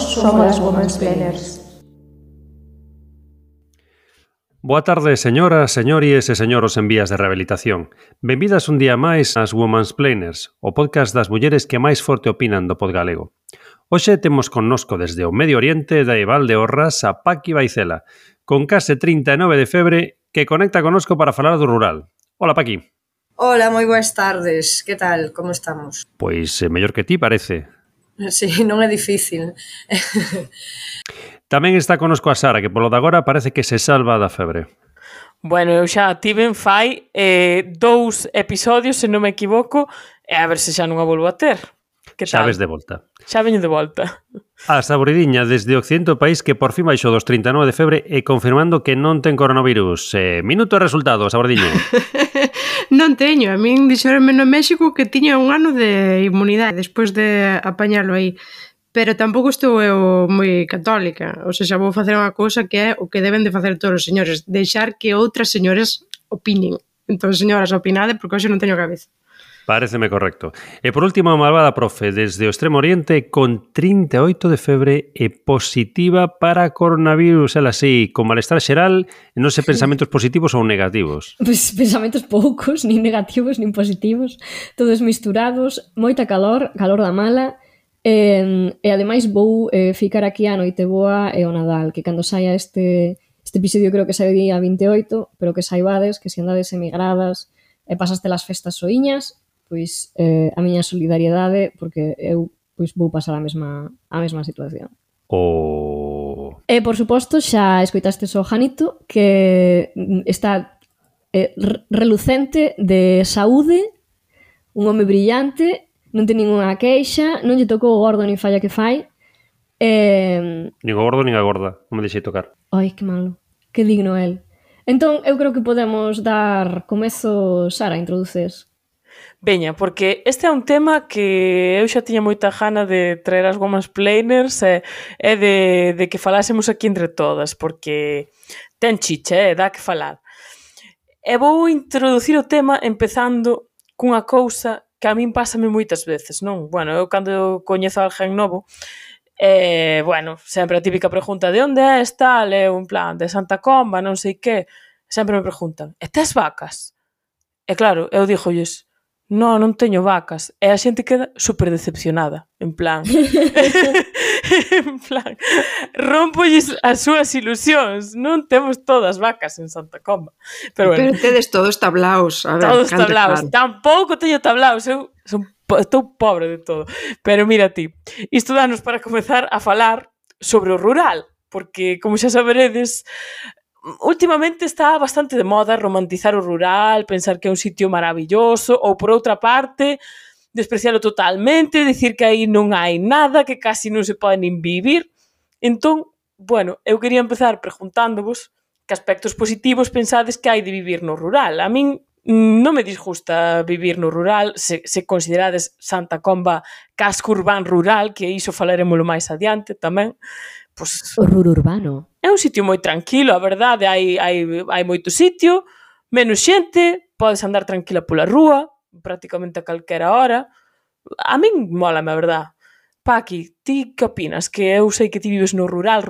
somos as Womansplainers. Boa tarde, señoras, señores e señoros en vías de rehabilitación. Benvidas un día máis ás Womansplainers, o podcast das mulleres que máis forte opinan do pod galego. Hoxe temos connosco desde o Medio Oriente da Valdeorras a Paqui Vaicela, con case 39 de febre, que conecta connosco para falar do rural. Hola, Paqui. Hola, moi boas tardes. Que tal? Como estamos? Pois mellor que ti parece. Sí, non é difícil. Tamén está connosco a Sara, que polo de agora parece que se salva da febre. Bueno, eu xa tiven fai 2 episodios, se non me equivoco, e a ver se xa non a volvo a ter. Que tal? Xa ves de volta. Xa veño de volta. A Saboridiña, desde o occidente do país que por fin baixou dos 39 de febre e confirmando que non ten coronavirus. Minuto de resultado, Saboridiña. Non teño, a min dixeronme no México que tiña un ano de inmunidade despois de apañalo aí. Pero tampouco estou eu moi católica. O sea, xa vou facer unha cousa que é o que deben de facer todos os señores, deixar que outras señores opinen. Entón, señoras, opinade, porque hoxe non teño cabeza. Paréceme correcto. E por último, a malvada profe, desde o Extremo Oriente, con 38 de febre e positiva para coronavirus. Ela sí, con malestar xeral, e non sei pensamentos positivos ou negativos. Pois pensamentos poucos, nin negativos, nin positivos, todos misturados, moita calor, calor da mala. E ademais vou ficar aquí a noite boa e o Nadal, que cando saia este episodio creo que sai o día 28, pero que saibades que se andades emigradas e pasaste as festas soiñas, pois a miña solidariedade, porque eu pois vou pasar a mesma situación. E por suposto xa escoitastes o Janito, que está relucente de saúde, un home brillante, non ten ninguna queixa, non lle tocou o gordo nin falla que fai. Nin o gordo nin a gorda, non me deixei tocar. Ai, que malo, que digno el. Entón, eu creo que podemos dar comezo, Sara, introduces. Veña, porque este é un tema que eu xa tiña moita gana de traer as Womansplainers e de que falásemos aquí entre todas, porque ten chicha, dá que falar. E vou introducir o tema empezando cunha cousa que a min pásame moitas veces, non? Bueno, eu cando coñezo a alguén novo, bueno, sempre a típica pregunta de onde és tal, eu en plan de Santa Comba, non sei que, sempre me preguntan, e tes vacas? E claro, eu dígolles, non teño vacas, e a xente queda super decepcionada, en plan, rompolles as súas ilusións, non temos todas vacas en Santa Comba. Pero bueno, tedes todos tablaos, a ver, todos tablaos, tampouco teño tablaos, eu estou pobre de todo. Pero mira ti, isto danos para comezar a falar sobre o rural, porque, como xa saberedes, últimamente está bastante de moda romantizar o rural, pensar que é un sitio maravilloso, ou por outra parte, desprecialo totalmente, dicir que aí non hai nada, que casi non se pode nin vivir. Entón, bueno, eu quería empezar preguntándovos que aspectos positivos pensades que hai de vivir no rural. A min non me disgusta vivir no rural, se considerades Santa Comba casco urbán rural, que iso falaremoslo máis adiante tamén. Pues, o rururbano. É un sitio moi tranquilo, a verdade, hai moito sitio, menos xente, podes andar tranquila pola rúa, prácticamente a calquera hora. A min mólame, a verdade. Paqui, ti que opinas? Que eu sei que ti vives no rural,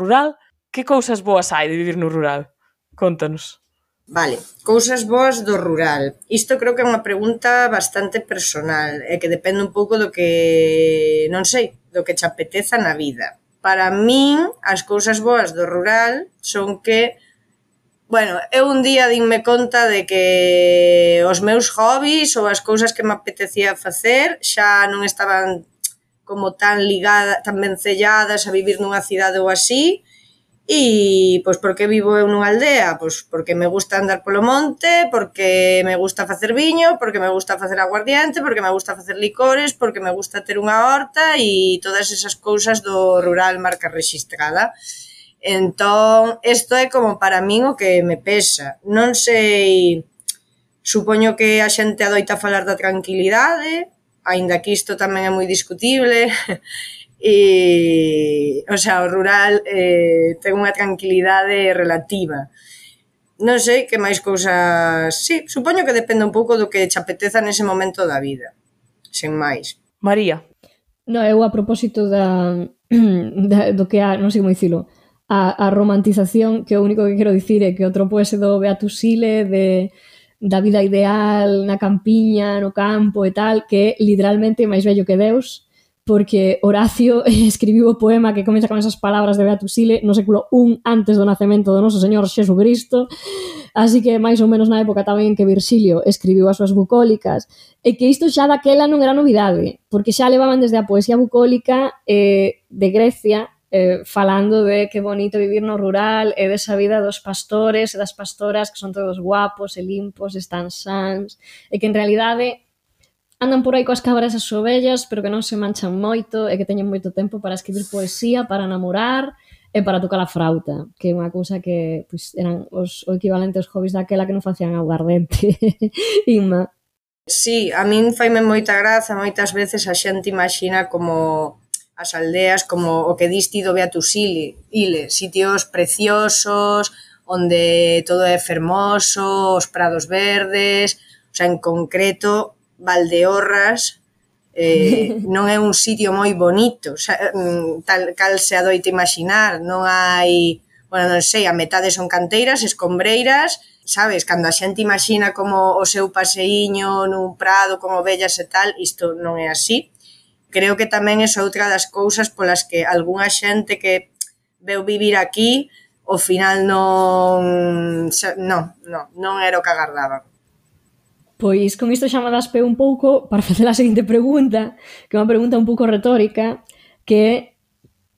que cousas boas hai de vivir no rural? Contanos. Vale, cousas boas do rural. Isto creo que é unha pregunta bastante personal e que depende un pouco do que, non sei, do que che apeteza na vida. Para min, as cousas boas do rural son que, bueno, eu un día dinme conta de que os meus hobbies ou as cousas que me apetecía facer xa non estaban como tan ligadas, tan vencelladas a vivir nunha cidade ou así. E, pois, por que vivo eu nunha aldea? Pois, porque me gusta andar polo monte, porque me gusta facer viño, porque me gusta facer aguardiente, porque me gusta facer licores, porque me gusta ter unha horta e todas esas cousas do rural marca rexistrada. Entón, isto é como para min o que me pesa. Non sei, supoño que a xente adoita falar da tranquilidade, aínda que isto tamén é moi discutible. E, o sea, o rural ten unha tranquilidade relativa. Non sei que máis cousas... Sí, supoño que depende un pouco do que che apeteza nese momento da vida. Sen máis. María. No, eu a propósito da do que non sei como dicilo, a romantización, que o único que quero dicir é que o tropo ese do Beatus Sile, da vida ideal na campiña, no campo e tal, que é literalmente máis vello que Deus, porque Horacio escribiu o poema que comeza con esas palabras de Beatus Sile no século I antes do nacemento do noso Señor Xesucristo, así que máis ou menos na época tamén en que Virxilio escribiu as súas bucólicas, e que isto xa daquela non era novidade, porque xa levaban desde a poesía bucólica de Grecia, falando de que bonito vivir no rural e desa vida dos pastores e das pastoras que son todos guapos e limpos, están sans, e que en realidade andan por aí coas cabras e as ovellas, pero que non se manchan moito e que teñen moito tempo para escribir poesía, para namorar e para tocar a frauta, que é unha cousa que pois, eran o equivalente aos hobbies daquela que non facían aguardente. Inma. Sí, a min faime moita graza, moitas veces a xente imagina como as aldeas, como o que diste do Beatus Ile, sitios preciosos, onde todo é fermoso, os prados verdes, o sea, en concreto, Valdeorras non é un sitio moi bonito, tal cal se adoita imaginar, non hai, bueno, non sei, a metade son canteiras, escombreiras, sabes, cando a xente imagina como o seu paseíño nun prado con ovellas e tal, isto non é así. Creo que tamén é outra das cousas polas que algunha xente que veu vivir aquí, ao final non era o que agardaba. Pois con isto xa me das pé un pouco para facer a seguinte pregunta, que é unha pregunta un pouco retórica, que é,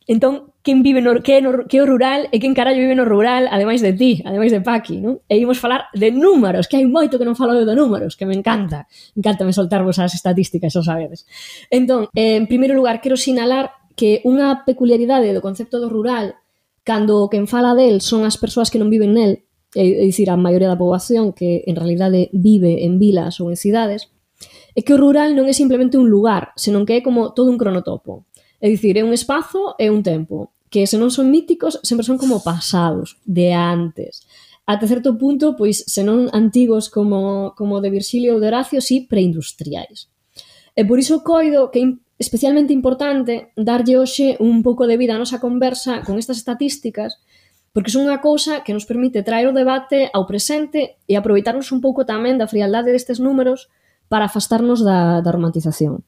entón, quen vive que é o rural e quen carallo vive no rural, ademais de ti, ademais de Paqui, non? E imos falar de números, que hai moito que non falo eu de números, que me encanta me soltarvos as estatísticas, xa sabedes. Entón, en primeiro lugar, quero sinalar que unha peculiaridade do concepto do rural, cando quen fala del son as persoas que non viven nel, é dicir, a maioría da poboación que en realidade vive en vilas ou en cidades, é que o rural non é simplemente un lugar, senón que é como todo un cronotopo. É dicir, é un espazo e un tempo, que se non son míticos, sempre son como pasados, de antes. Até certo punto, pois, se non antigos como de Virxilio ou de Horacio, sí preindustriais. E por iso coido que é especialmente importante darlle hoxe un pouco de vida a nosa conversa con estas estatísticas, porque son unha cousa que nos permite traer o debate ao presente e aproveitarnos un pouco tamén da frialdade destes números para afastarnos da romantización.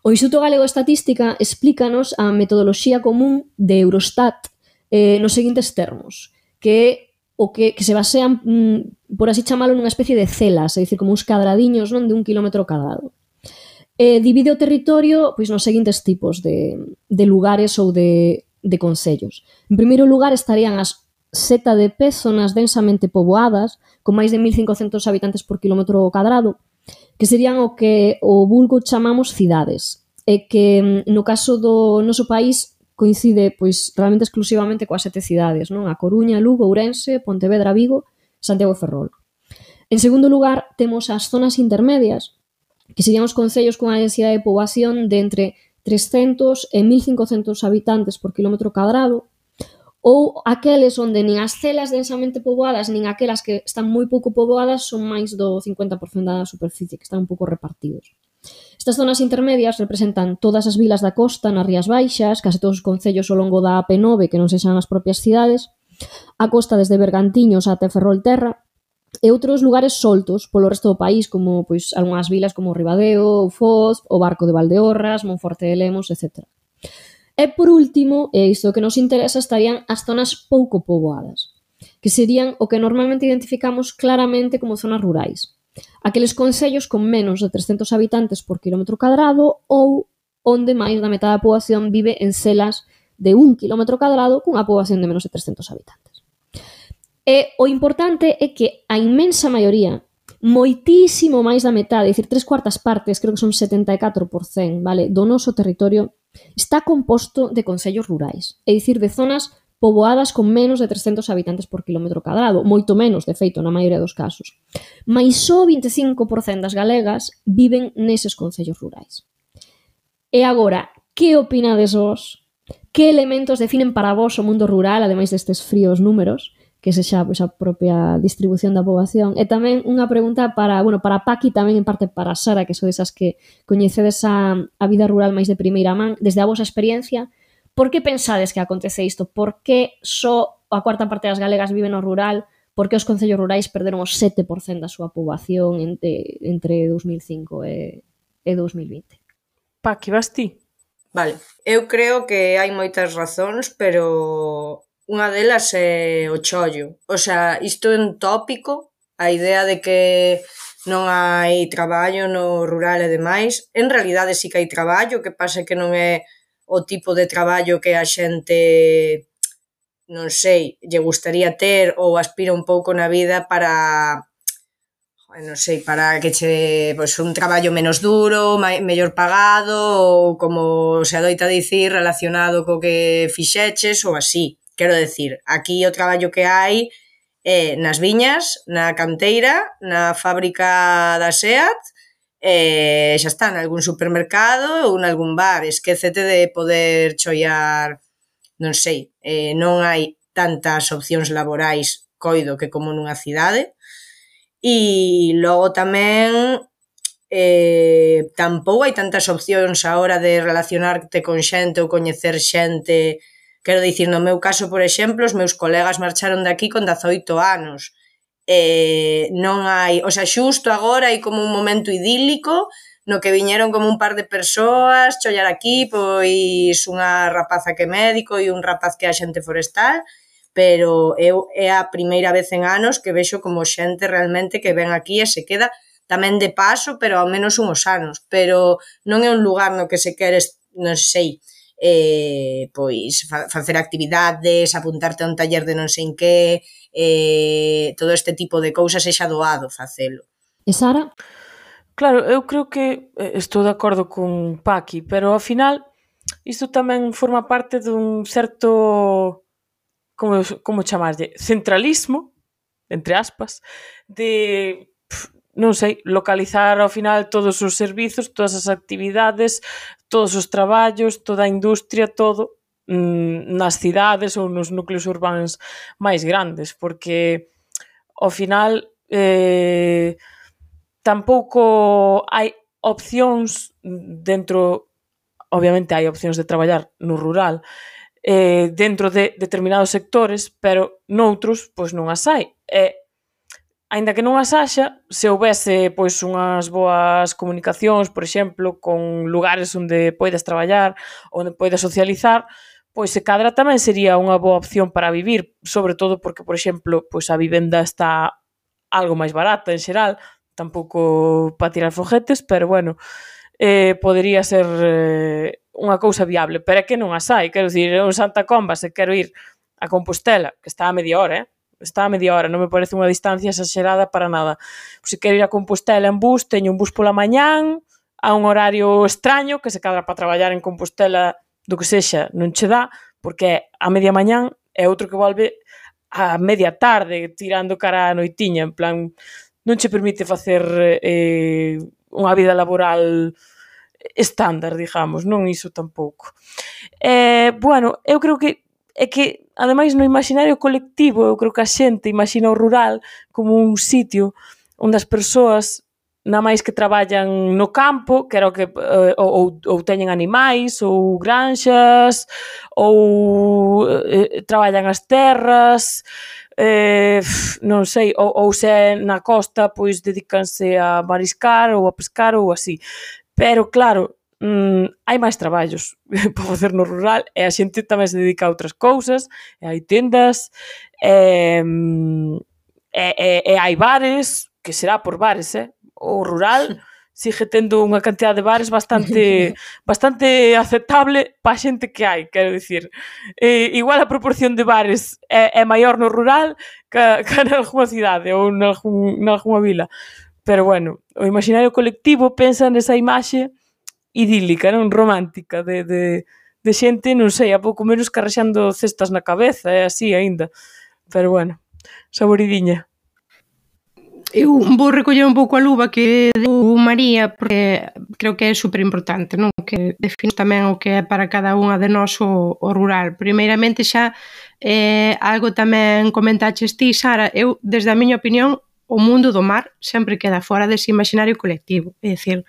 O Instituto Galego de Estatística explícanos a metodoloxía común de Eurostat nos seguintes termos, que é o que se basean, por así chamalo, nunha especie de celas, é dicir, como uns cadradiños, non, de 1 kilómetro cadrado. Divide o territorio pois nos seguintes tipos de lugares ou de concellos. En primeiro lugar estarían as ZDP, zonas densamente poboadas, con máis de 1.500 habitantes por kilómetro cadrado, que serían o que o vulgo chamamos cidades, e que no caso do noso país coincide pois realmente exclusivamente coas 7 cidades, non? A Coruña, Lugo, Ourense, Pontevedra, Vigo, Santiago e Ferrol. En segundo lugar, temos as zonas intermedias, que serían os concellos con a densidade de poboación de entre 300 e 1.500 habitantes por kilómetro cadrado, ou aqueles onde nin as celas densamente poboadas nin aquelas que están moi pouco poboadas son máis do 50% da superficie, que están un pouco repartidos. Estas zonas intermedias representan todas as vilas da costa nas Rías Baixas, case todos os concellos ao longo da AP9 que non sexan as propias cidades, a costa desde Bergantiños até Ferrolterra, e outros lugares soltos polo resto do país, como pois algunhas vilas como Ribadeo, Foz, o Barco de Valdeorras, Monforte de Lemos, etc. E por último, e isto que nos interesa, estarían as zonas pouco poboadas, que serían o que normalmente identificamos claramente como zonas rurais. Aqueles concellos con menos de 300 habitantes por kilómetro cadrado ou onde máis da metade da poboación vive en celas de 1 kilómetro cadrado cunha poboación de menos de 300 habitantes. E o importante é que a inmensa maioría, moitísimo máis da metade, é dicir, 3/4 partes, creo que son 74%, vale, do noso territorio, está composto de concellos rurais, é dicir, de zonas poboadas con menos de 300 habitantes por kilómetro cadrado, moito menos, de feito, na maioría dos casos. Mais só 25% das galegas viven neses concellos rurais. E agora, que opinades vos? Que elementos definen para vos o mundo rural, ademais destes fríos números, que sexa pois, a propia distribución da poboación? E tamén unha pregunta para Paqui, tamén en parte para Sara, que sodes as que coñecedes a vida rural máis de primeira man, desde a vosa experiencia, Por que pensades que acontece isto? Por que só a cuarta parte das galegas vive no rural? Por que os concellos rurais perderon o 7% da súa poboación entre 2005 e 2020? Paqui, vas ti? Vale, eu creo que hai moitas razóns, pero unha delas é o chollo. O sea, isto é un tópico, a idea de que non hai traballo no rural e demais. En realidade sí que hai traballo, que pasa que non é o tipo de traballo que a xente, non sei, lle gustaría ter ou aspira un pouco na vida para, non sei, para que che, pois, un traballo menos duro, mellor pagado, ou como se adoita dicir, relacionado co que fixeches ou así. Quero decir, aquí o traballo que hai é nas viñas, na canteira, na fábrica da SEAT, xa está, nalgún supermercado ou nalgún bar. Esquécete de poder chollar, non sei, non hai tantas opcións laborais, coido, que como nunha cidade. E logo tamén tampouco hai tantas opcións a hora de relacionarte con xente ou coñecer xente. Quero dicir, no meu caso, por exemplo, os meus colegas marcharon de aquí con 18 anos. Non hai, o sea, xusto agora hai como un momento idílico no que viñeron como un par de persoas chollar aquí, pois unha rapaza que é médico e un rapaz que é axente forestal, pero eu é a primeira vez en anos que vexo como xente realmente que ven aquí e se queda tamén de paso, pero ao menos unhos anos. Pero non é un lugar no que se queres, non sei, pois facer actividades, apuntarte a un taller de non sei en que, todo este tipo de cousas é xa doado facelo. E Sara? Claro, eu creo que estou de acordo con Paqui, pero ao final isto tamén forma parte dun certo, como chamarlle, centralismo, entre aspas, de, non sei, localizar ao final todos os servizos, todas as actividades, todos os traballos, toda a industria, todo nas cidades ou nos núcleos urbanos máis grandes, porque ao final tampouco hai opcións dentro, obviamente hai opcións de traballar no rural, dentro de determinados sectores, pero noutros, pois non as hai. Aínda que non as haxa, se houbese pois unhas boas comunicacións, por exemplo, con lugares onde poidas traballar, onde poidas socializar, pois se cadra tamén sería unha boa opción para vivir, sobre todo porque, por exemplo, pois a vivenda está algo máis barata en xeral, tampouco para tirar foguetes, pero bueno, podería ser unha cousa viable, pero é que non as hai. Quero dicir, en Santa Comba, se quero ir a Compostela, que está a media hora, está a media hora, non me parece unha distancia exagerada para nada. Se quero ir a Compostela en bus, teño un bus pola mañán, a un horario extraño, que se cadra para traballar en Compostela do que sexa, non che dá, porque a media mañán é outro que volve a media tarde, tirando cara a noitiña, en plan, non che permite facer unha vida laboral estándar, digamos, non iso tampouco. Bueno, eu creo que é que, ademais, no imaginario colectivo, eu creo que a xente imagina o rural como un sitio onde as persoas, na máis que traballan no campo, que era o que ou teñen animais, ou granxas, ou traballan as terras, non sei, ou se é na costa, pois dedícanse a mariscar ou a pescar ou así. Pero claro, hai máis traballos para facer no rural e a xente tamén se dedica a outras cousas, e hai tendas, e hai bares, que será por bares, o rural sigue tendo unha cantidad de bares bastante aceptable para a xente que hai, quero dicir. Igual a proporción de bares é maior no rural que nalgúna cidade ou nalgúna vila. Pero bueno, o imaginario colectivo pensa nesa imaxe idílica, non romántica, de xente, non sei, a pouco menos carrexando cestas na cabeza, é así aínda. Pero bueno, saboridiña. Eu vou recoller un pouco a luva que deu María, porque creo que é superimportante, non? Que define tamén o que é para cada unha de nós o rural. Primeiramente xa, algo tamén comentaches ti, Sara, eu, desde a miña opinión, o mundo do mar sempre queda fora dese imaginario colectivo. É dicir,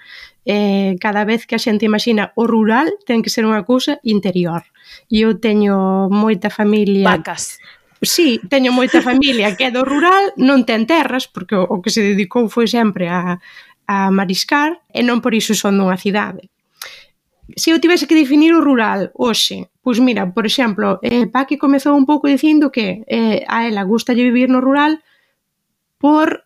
cada vez que a xente imagina o rural ten que ser unha cousa interior. E eu teño moita familia... Vacas. Sí, teño moita familia que é do rural, non ten terras, porque o que se dedicou foi sempre a mariscar, e non por iso son dunha cidade. Se eu tivese que definir o rural hoxe, pois mira, por exemplo, Paqui comezou un pouco dicindo que a ela gustalle vivir no rural por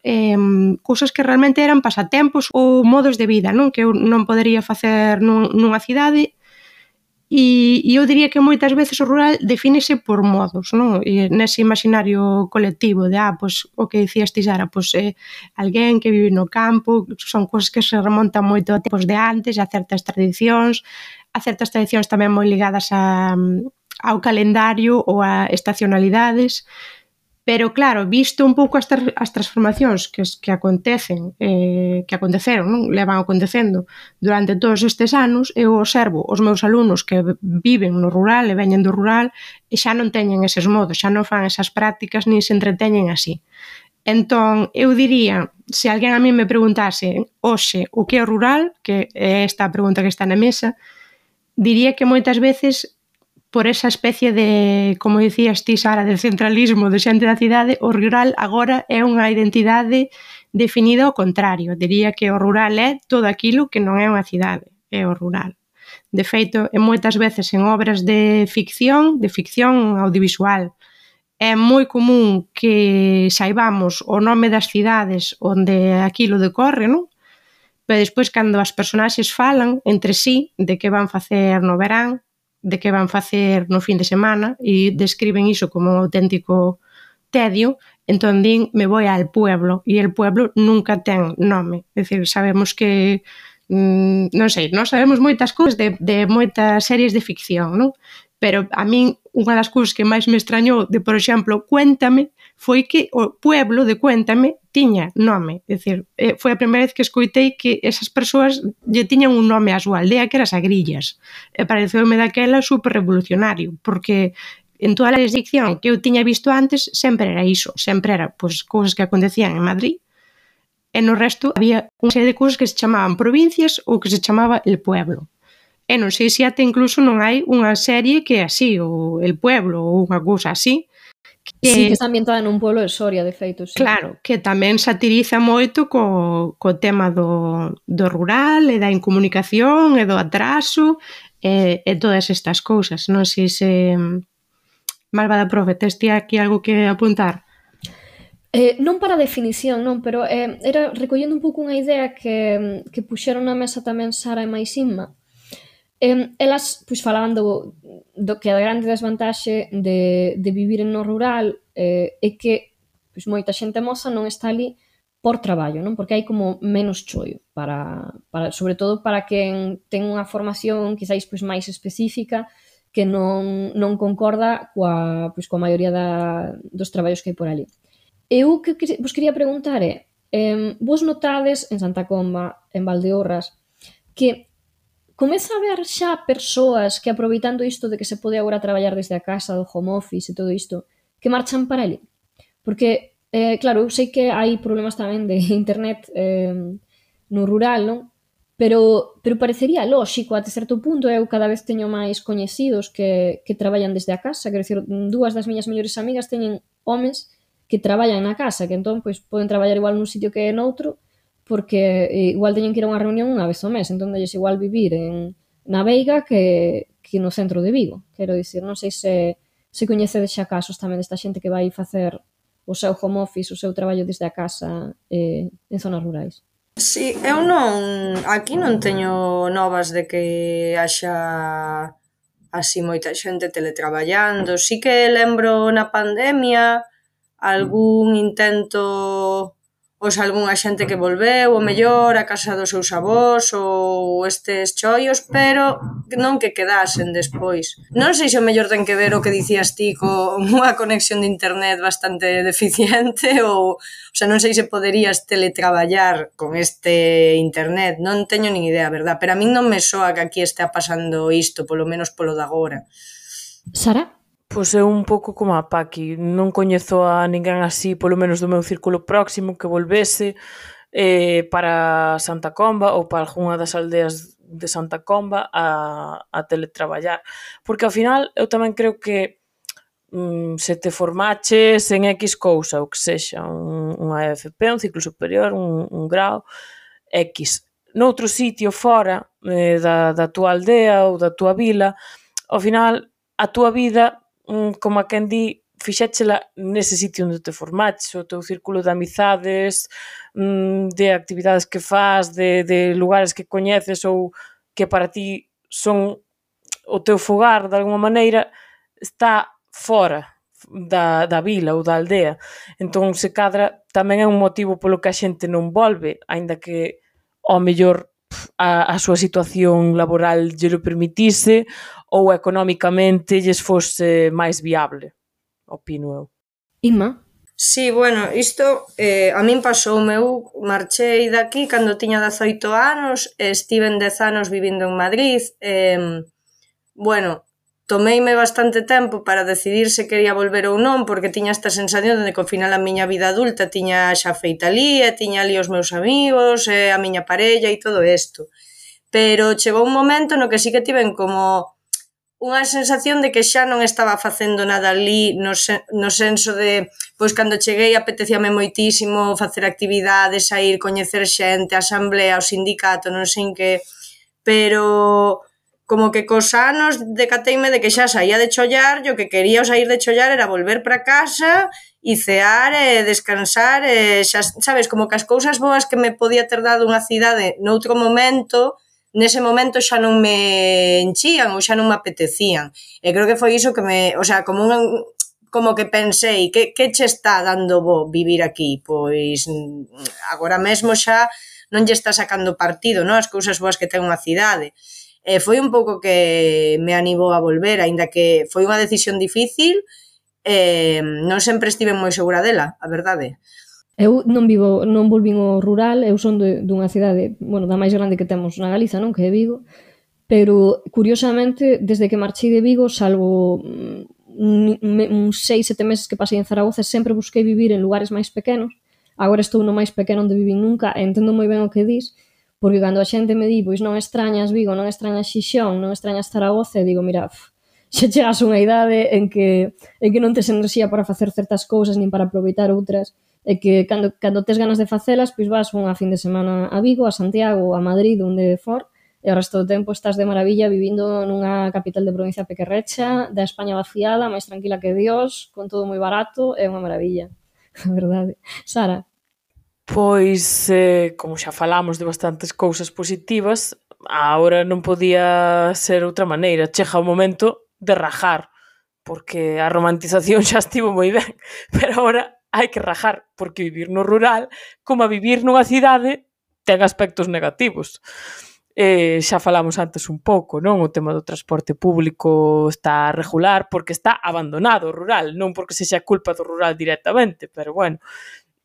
cousas que realmente eran pasatempos ou modos de vida, non? Que eu non podería facer nunha cidade. E eu diría que moitas veces o rural defínese por modos, non? E nese imaginario colectivo de, pois, o que dicías ti, Sara, pois alguén que vive no campo, son cousas que se remontan moito a tempos de antes, a certas tradicións tamén moi ligadas ao calendario ou a estacionalidades. Pero claro, visto un pouco as transformacións que acontecen, que aconteceron, non? Levan acontecendo durante todos estes anos, eu observo os meus alumnos que viven no rural e veñen do rural e xa non teñen eses modos, xa non fan esas prácticas nin se entreteñen así. Entón, eu diría, se alguén a mí me preguntase hoxe o que é o rural, que é esta a pregunta que está na mesa, diría que moitas veces por esa especie de, como dicías ti, Sara, de centralismo de xente da cidade, o rural agora é unha identidade definida ao contrario. Diría que o rural é todo aquilo que non é unha cidade, é o rural. De feito, moitas veces en obras de ficción audiovisual, é moi común que saibamos o nome das cidades onde aquilo decorre, non? Pero despois, cando as personaxes falan entre sí de que van facer no verán, de que van facer no fin de semana e describen iso como un auténtico tedio, entón din, me voy al pueblo, e el pueblo nunca ten nome. É dicir, sabemos que, non sei, nós sabemos moitas cousas de moitas series de ficción, non? Pero a min, unha das cousas que máis me extrañou de, por exemplo, Cuéntame, foi que o pueblo de Cuéntame tiña nome. É dicir, foi a primeira vez que escoitei que esas persoas lle tiñan un nome á súa aldea, que era Sagrillas. E pareceume daquela super revolucionario, porque en toda a ficción que eu tiña visto antes sempre era iso, sempre era pois, cousas que acontecían en Madrid, e no resto había unha serie de cousas que se chamaban provincias ou que se chamaba el pueblo. E non sei se até incluso non hai unha serie que é así, ou el pueblo, ou unha cousa así, sí, que está ambientada nun pueblo de Soria, de feito, sí. Claro, que tamén satiriza moito co tema do rural e da incomunicación e do atraso e todas estas cousas. Non sei se... Malvada profe, tes ti aquí algo que apuntar? Non para definición, non, pero era recollendo un pouco unha idea que puxeron na mesa tamén Sara e Maisinma. Elas pois, falaban do que a grande desvantaxe de vivir no rural é que pois, moita xente moza non está ali por traballo, non? Porque hai como menos choio para sobre todo para quen ten unha formación quizáis pois, máis específica que non concorda coa maioría dos traballos que hai por ali. Eu que vos quería preguntar é vos notades en Santa Comba, en Valdeorras, que comeza a haber xa persoas que aproveitando isto de que se pode agora traballar desde a casa, do home office e todo isto, que marchan para ali. Porque, claro, eu sei que hai problemas tamén de internet no rural, non? Pero parecería lóxico, até certo punto, eu cada vez teño máis coñecidos que traballan desde a casa, quero dicir, dúas das miñas mellores amigas teñen homes que traballan na casa, que entón pois, poden traballar igual nun sitio que noutro, porque igual teñen que ir a unha reunión unha vez ao mes, entón delles igual vivir na Veiga que no centro de Vigo. Quero dicir, non sei se coñecedes xa casos tamén desta xente que vai facer o seu home office, o seu traballo desde a casa en zonas rurais. Sí, eu non... Aquí non teño novas de que haxa así moita xente teletraballando. Sí que lembro na pandemia algún intento... algunha xente que volveu, o mellor, a casa dos seus avós ou estes choios, pero non que quedasen despois. Non sei se o mellor ten que ver o que dicías ti con unha conexión de internet bastante deficiente ou sea, non sei se poderías teletraballar con este internet, non teño nin idea, verdad? Pero a min non me soa que aquí estea pasando isto, polo menos polo de agora. Sara? Pois é un pouco como a Paqui, non coñezo a ninguén así, polo menos do meu círculo próximo, que volvese. para Santa Comba ou para algunha das aldeas de Santa Comba a teletraballar. Porque ao final eu tamén creo que se te formaches en X cousa, ou que sexa, unha EFP, un ciclo superior, un grau, X, noutro sitio fora da túa aldea ou da túa vila, ao final a túa vida, como a quen di, fixéchela nese sitio onde te formaches, o teu círculo de amizades, de actividades que faz, de lugares que coñeces ou que para ti son o teu fogar de alguma maneira, está fora da vila ou da aldea. Entón, se cadra, tamén é un motivo polo que a xente non volve, aínda que ao mellor a súa situación laboral lle lo permitise ou económicamente lles fose máis viable, opino eu. Inma? Sí, bueno, isto a min pasoume, eu marchei daqui cando tiña 18 anos, estiven 10 anos vivindo en Madrid, bueno, tomeime bastante tempo para decidir se quería volver ou non, porque tiña esta sensación de que ao final a miña vida adulta tiña xa feita ali, e tiña ali os meus amigos, a miña parella e todo isto. Pero chegou un momento no que sí que tiven como unha sensación de que xa non estaba facendo nada ali no senso de, pois cando cheguei apetecíame moitísimo facer actividades, sair, coñecer xente, a asamblea, o sindicato, non sei en que, pero como que cos anos decateime de que xa saía de chollar e o que quería ao sair de chollar era volver para casa e cear e descansar e xa, sabes, como que as cousas boas que me podía ter dado unha cidade noutro momento, nese momento xa non me enchían ou xa non me apetecían. E creo que foi iso que me, o sea, como que pensei, que che está dando bo vivir aquí? Pois agora mesmo xa non lle está sacando partido, non? As cousas boas que ten unha cidade. Foi un pouco que me animou a volver, aínda que foi unha decisión difícil, non sempre estive moi segura dela, a verdade. Eu non volvín ao rural, eu son dunha cidade, bueno, da máis grande que temos na Galiza, non, que é Vigo, pero curiosamente, desde que marchei de Vigo, salvo uns 6-7 meses que pasei en Zaragoza, sempre busquei vivir en lugares máis pequenos. Agora estou no máis pequeno onde vivín nunca, e entendo moi ben o que dis, porque cando a xente me di, pois non extrañas Vigo, non extrañas Xixón, non extrañas Zaragoza, e digo, mira, xa chegas a unha idade en que non tes enerxía para facer certas cousas, nin para aproveitar outras, e que cando tes ganas de facelas, pois vas unha fin de semana a Vigo, a Santiago, a Madrid, onde for, e o resto do tempo estás de maravilla vivindo nunha capital de provincia pequerrecha, da España vaciada, máis tranquila que Dios, con todo moi barato, é unha maravilla, a verdade. Sara? Pois, como xa falamos de bastantes cousas positivas, agora non podía ser outra maneira. Chega o momento de rajar, porque a romantización xa estivo moi ben, pero agora hai que rajar, porque vivir no rural, como a vivir nunha cidade, ten aspectos negativos. Xa falamos antes un pouco, non? O tema do transporte público está a regular porque está abandonado o rural, non porque sexa culpa do rural directamente, pero bueno,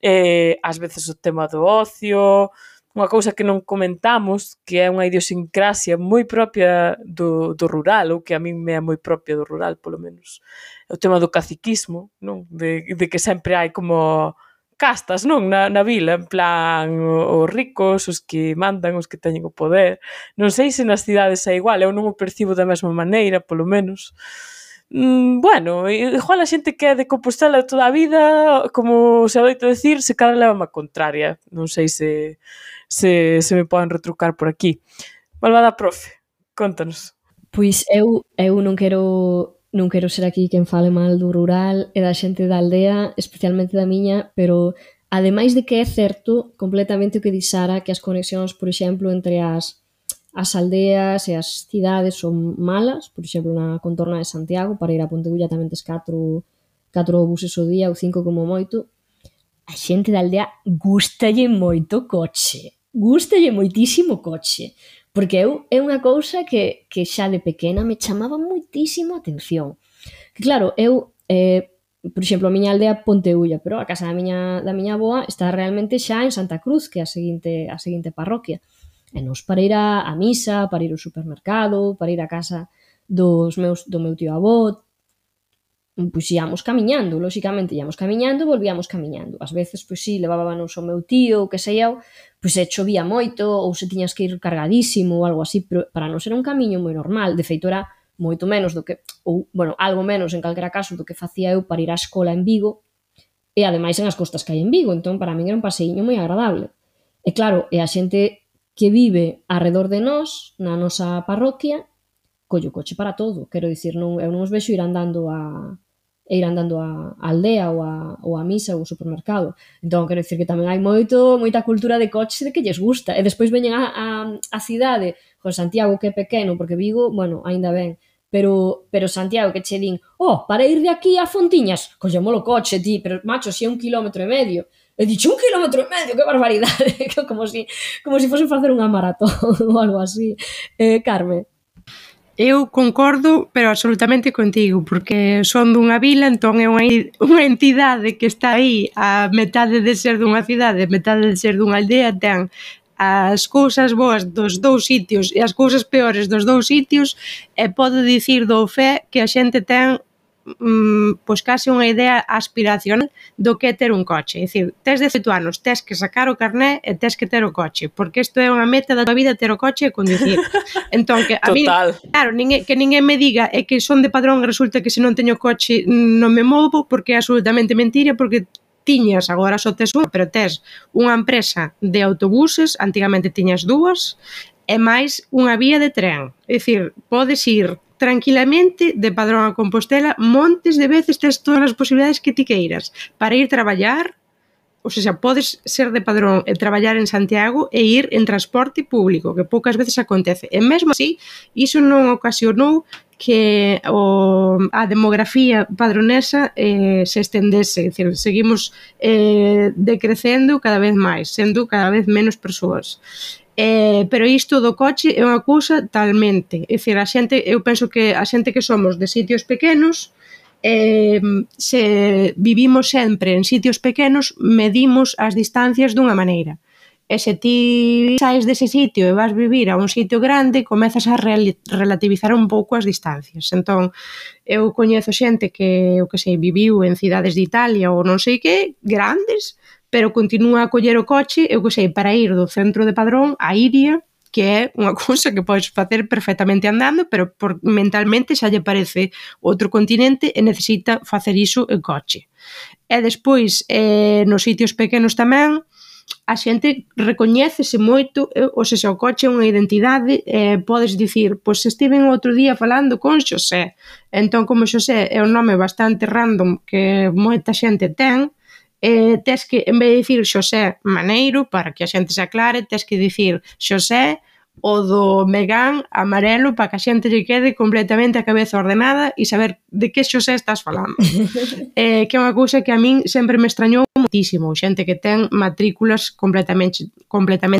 ás veces o tema do ocio, unha cousa que non comentamos, que é unha idiosincrasia moi propia do rural, ou que a min me é moi propia do rural, polo menos. O tema do caciquismo, non? De que sempre hai como castas, non? Na vila, en plan, os ricos, os que mandan, os que teñen o poder. Non sei se nas cidades é igual, eu non o percibo da mesma maneira, polo menos. Bueno, igual a xente que é de Compostela toda a vida, como se adoito decir, se cada leva má contraria. Non sei se me poden retrucar por aquí. Malvada profe, contanos. Pois eu non quero ser aquí quen fale mal do rural e da xente da aldea, especialmente da miña, pero ademais de que é certo completamente o que di Sara, que as conexións, por exemplo, entre as aldeas e as cidades son malas, por exemplo, na contorna de Santiago, para ir a Pontegulla tamén tes 4 buses ao día ou 5 como moito. A xente da aldea gustalle moito coche, gustalle moitísimo coche, porque é unha cousa que xa de pequena me chamaba moitísimo a atención. Que claro, por exemplo, a miña aldea Pontegulla, pero a casa da miña avoa está realmente xa en Santa Cruz, que é a seguinte parroquia. E nos para ir a misa, para ir ao supermercado, para ir a casa do meu tío avó, pois íamos camiñando, lóxicamente íamos camiñando e volvíamos camiñando. Ás veces, pois sí, levábanos o meu tío, o que sei eu, pois se chovía moito ou se tiñas que ir cargadísimo ou algo así, pero para non ser un camiño moi normal. De feito, era moito menos do que, ou, bueno, algo menos en calquera caso do que facía eu para ir á escola en Vigo, e ademais en as costas que hai en Vigo, entón para min era un paseíño moi agradable. E claro, e a xente que vive arredor de nós, na nosa parroquia, colle o coche para todo, quero dicir, non, eu non os vexo ir andando á aldea ou á misa ou ao supermercado. Entón, quero dicir que tamén hai moita cultura de coches de que lles gusta. E despois veñen a cidade, con Santiago que é pequeno, porque Vigo, bueno, aínda ben, pero Santiago que che din, para ir de aquí a Fontiñas, collémolo coche, ti, pero macho, si é 1,5 km. E dicho, 1,5 km, que barbaridade, como si fosen facer unha maratón ou algo así. Carme. Eu concordo, pero absolutamente contigo, porque son dunha vila, entón é unha entidade que está aí a metade de ser dunha cidade, a metade de ser dunha aldea, ten as cousas boas dos dous sitios e as cousas peores dos dous sitios, e podo dicir do fe que a xente ten pois case unha idea aspiracional do que é ter un coche. É dicir, tes 18 anos, tes que sacar o carné e tes que ter o coche, porque isto é unha meta da tua vida, ter o coche e conducir. Entón, que a mí, claro, que ninguén me diga é que son de Padrón e resulta que se non teño coche non me movo, porque é absolutamente mentira, porque tiñas, agora só tes unha, pero tes unha empresa de autobuses, antigamente tiñas dúas, e máis unha vía de tren. É dicir, podes ir tranquilamente de Padrón a Compostela montes de veces, tes todas as posibilidades que ti queiras para ir traballar, ou seja, podes ser de Padrón e traballar en Santiago e ir en transporte público, que poucas veces acontece, e mesmo así iso non ocasionou que a demografía padronesa se estendese, é dicir, seguimos decrecendo cada vez máis, sendo cada vez menos persoas. Pero isto do coche é unha cousa talmente, é dicir, eu penso que a xente que somos de sitios pequenos, se vivimos sempre en sitios pequenos, medimos as distancias dunha maneira. E se ti saes dese sitio e vas vivir a un sitio grande, comezas a relativizar un pouco as distancias. Entón, eu coñezo xente que, eu que sei, viviu en cidades de Italia ou non sei que, grandes, pero continúa a coller o coche, eu que sei, para ir do centro de Padrón a Iria, que é unha cousa que podes facer perfectamente andando, pero mentalmente xa lle parece outro continente e necesita facer iso en coche. E despois, nos sitios pequenos tamén, a xente recoñécese moito, ou seja, o coche é unha identidade, podes dicir, pois estiven outro día falando con Xosé, entón como Xosé é un nome bastante random que moita xente ten, tes que, en vez de dicir Xosé Maneiro, para que a xente se aclare, tes que dicir Xosé o do Megán amarelo para que a xente lle quede completamente a cabeza ordenada e saber de que Xosé estás falando. Que é unha cousa que a min sempre me extrañou moitísimo, xente que ten matrículas completamente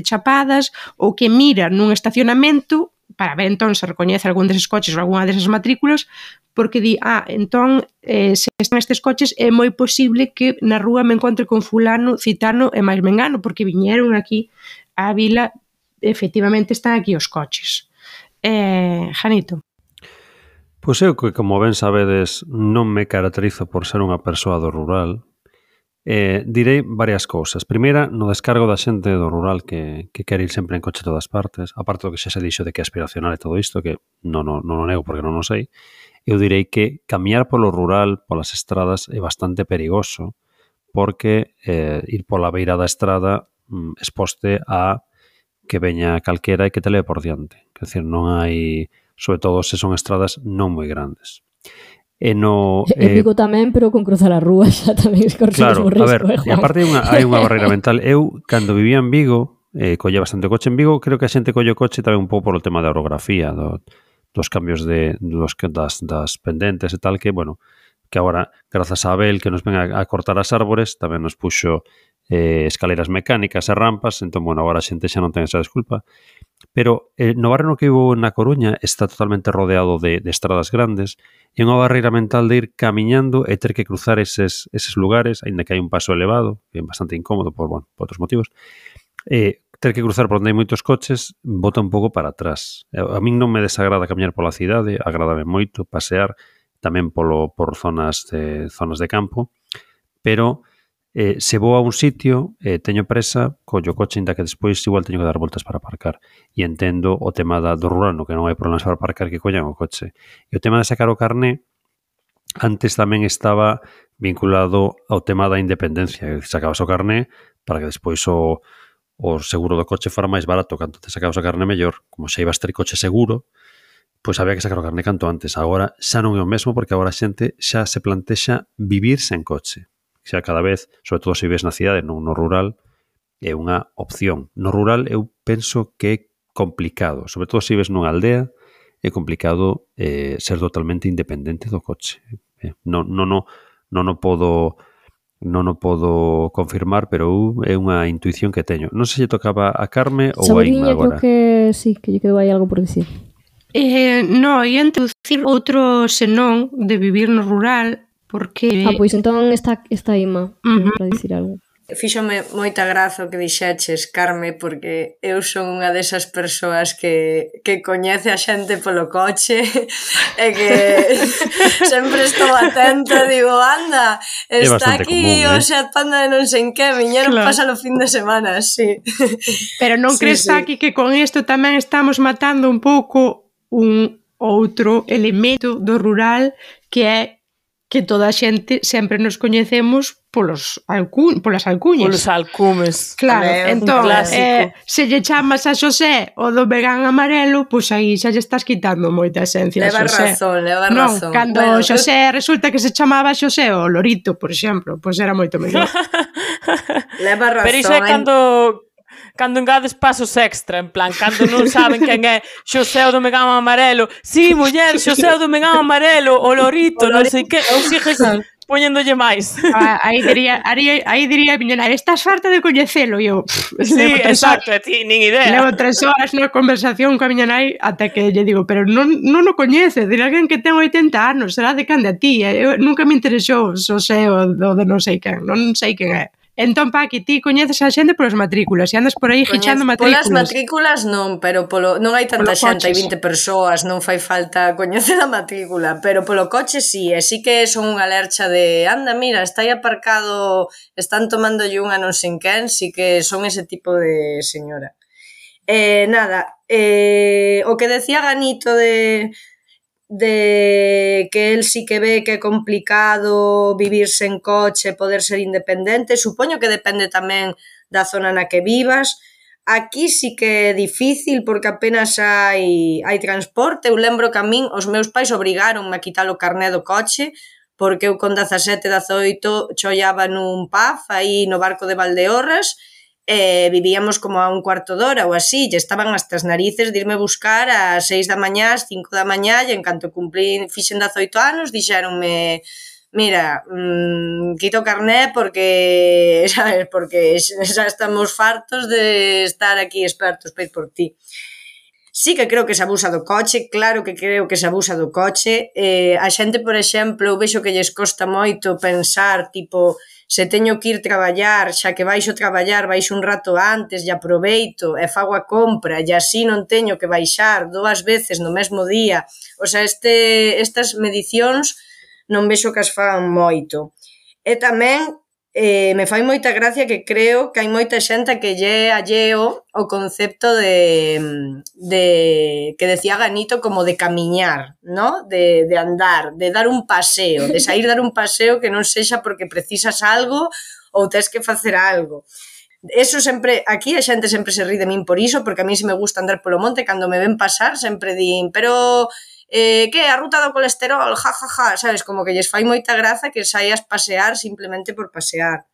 chapadas ou que mira nun estacionamento para ver entón se recoñece algún deses coches ou algunha desas matrículas, porque di, entón, se están estes coches é moi posible que na rúa me encontre con fulano, citano e máis mengano, porque viñeron aquí á vila, efectivamente están aquí os coches. Janito. Pois eu que, como ben sabedes, non me caracterizo por ser unha persoa do rural, direi varias cousas. Primeira, no descargo da xente do rural que quere ir sempre en coche a todas partes, aparte do que xa se dixo de que é aspiracional e todo isto, que non o nego porque non o sei, eu direi que camiñar polo rural, polas estradas, é bastante perigoso, porque ir pola beira da estrada exposte a que veña calquera e que te leve por diante. Quer dizer, non hai, sobre todo se son estradas non moi grandes. En Vigo tamén, pero con cruzar a rúa xa tamén corres o mesmo risco. Claro, a ver, e aparte hai unha barreira mental. Eu, cando vivía en Vigo, colle bastante coche en Vigo, creo que a xente colle o coche tamén un pouco por o tema da orografía, dos cambios das pendentes e tal, que, bueno, que agora, grazas a Abel, que nos ven a cortar as árbores, tamén nos puxo escaleras mecánicas e rampas, entón, bueno, agora a xente xa non ten esa desculpa. Pero no barrio no que vivo na Coruña está totalmente rodeado de estradas grandes e unha barreira mental de ir camiñando e ter que cruzar eses lugares, aínda que hai un paso elevado, que é bastante incómodo por outros motivos, ter que cruzar por onde hai moitos coches bota un pouco para atrás. A min non me desagrada camiñar pola cidade, agrádame moito pasear, tamén por zonas de campo, pero se vou a un sitio, teño presa, collo o coche, ainda que despois igual teño que dar voltas para aparcar. E entendo o tema do rural, no que non hai problemas para aparcar, que collan o coche. E o tema de sacar o carné, antes tamén estaba vinculado ao tema da independencia. Sacabas o carné para que despois o seguro do coche fora máis barato. Canto te sacabas o carné mellor. Como xa ibas ter coche seguro, pois había que sacar o carné canto antes. Agora xa non é o mesmo, porque agora a xente xa se plantexa vivir sen coche. Xa cada vez, sobre todo se vives na cidade, non no rural, é unha opción. No rural eu penso que é complicado, sobre todo se vives nunha aldea, é complicado ser totalmente independente do coche. Non o podo confirmar, pero é unha intuición que teño. Non sei se tocaba a Carme ou a Inma agora. Creo que sí, que lle quedou aí algo por dicir. No, ia introducir outro senón de vivir no rural, porque... Pois entón está Inma para dicir algo. Fíxome moita graza o que dixeches, Carme, porque eu son unha desas persoas que coñece a xente polo coche e que sempre estou atenta, digo, anda, está aquí o Seat Panda de non sei en que, viñeron pasar o fin de semana, sí. Pero non crees, Paqui, que con isto tamén estamos matando un pouco un outro elemento do rural, que é que toda a xente sempre nos coñecemos polas alcuñas. Polos alcumes. Claro, entón, se lle chamas a Xosé o do vegán amarelo, pois aí xa lle estás quitando moita esencia a Xosé. Leva razón. Non, cando Xosé resulta que se chamaba Xosé o Lorito, por exemplo, pois era moito mellor. Leva razón. Pero iso é cando engades pasos extra, en plan, cando non saben quen é Xosé o do vegán amarelo. Sí, muller, Xosé o do vegán amarelo, o Lorito, non sei que, ou sigues poñéndolle máis. Aí diría a miña nai, estás farta de coñecelo, e eu... Sí, exacto, ti nin idea. Levo 3 horas na conversación coa miña nai ata que lle digo, pero non o coñece, dirá alguén que ten 80 anos, será de cande a ti, eu nunca me interesou Xosé o de non sei quen, non sei quen é. Entón, Paqui, ti coñeces a xente polas matrículas e andas por aí fichando matrículas. Polas matrículas non, pero non hai tanta xente, hai 20 persoas, non fai falta coñecer a matrícula, pero polo coche sí, e sí que son unha lercha de anda, mira, está aí aparcado, están tomándolle unha non sei quen, sí que son ese tipo de señora. Nada, o que decía Ganito de que el sí que ve que é complicado vivir sen coche, poder ser independente, supoño que depende tamén da zona na que vivas. Aquí sí que é difícil porque apenas hai transporte. Eu lembro que a min os meus pais obrigaronme a quitar o carné do coche porque eu con 17, 18 chollaba nun pub aí no barco de Valdeorras. Vivíamos como a un cuarto de hora ou así, e estaban hasta as narices de irme buscar a 6 da mañá, as 5 da mañá, e en canto fixen 18 anos, dixeronme, mira, quito o carné porque, sabes, porque xa estamos fartos de estar aquí expertos para ir por ti. Sí que creo que se abusa do coche, claro que creo que se abusa do coche. A xente, por exemplo, eu vexo que lles costa moito pensar, tipo, se teño que ir traballar, xa que baixo traballar, baixo un rato antes e aproveito e fago a compra e así non teño que baixar 2 veces no mesmo día. O sea, estas medicións non vexo que as fagan moito. E tamén me fai moita gracia que creo que hai moita xente que lle alleo o concepto de que decía Ganito como de camiñar, ¿no? De andar, de dar un paseo, de sair dar un paseo que non sexa porque precisas algo ou tes que facer algo. Eso sempre, aquí a xente sempre se ri de min por iso, porque a mí se me gusta andar polo monte, cando me ven pasar sempre din, pero que a ruta do colesterol, sabes, como que lles fai moita graza que saias pasear simplemente por pasear.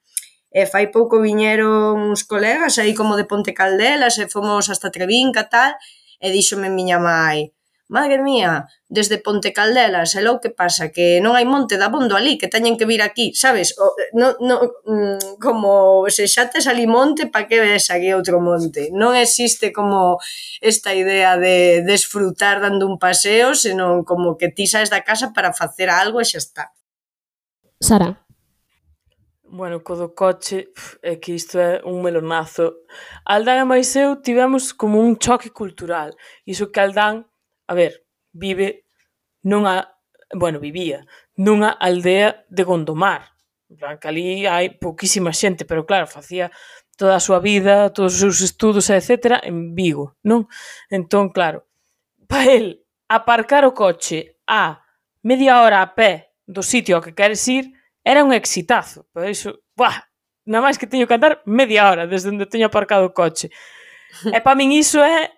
Fai pouco viñeron uns colegas aí como de Ponte Caldelas e fomos hasta Trevinca tal, e díxome miña mai, madre mía, desde Ponte Caldelas, e logo que pasa, que non hai monte dabondo ali, que teñen que vir aquí, sabes? Como se xa tes ali monte, pa que ves aquí outro monte? Non existe como esta idea de desfrutar dando un paseo, senón como que ti saes da casa para facer algo e xa está. Sara. Bueno, co do coche, é que isto é un melonazo. Aldán e máis eu tivemos como un choque cultural. Iso que Aldán, a ver, vive nunha vivía nunha aldea de Gondomar. En plan, que ali hai pouquísima xente, pero claro, facía toda a súa vida, todos os seus estudos, etc., en Vigo, non? Entón, claro, para el aparcar o coche a media hora a pé do sitio ao que queres ir era un exitazo. Por iso, nada máis que teño que andar media hora desde onde teño aparcado o coche. E para min iso é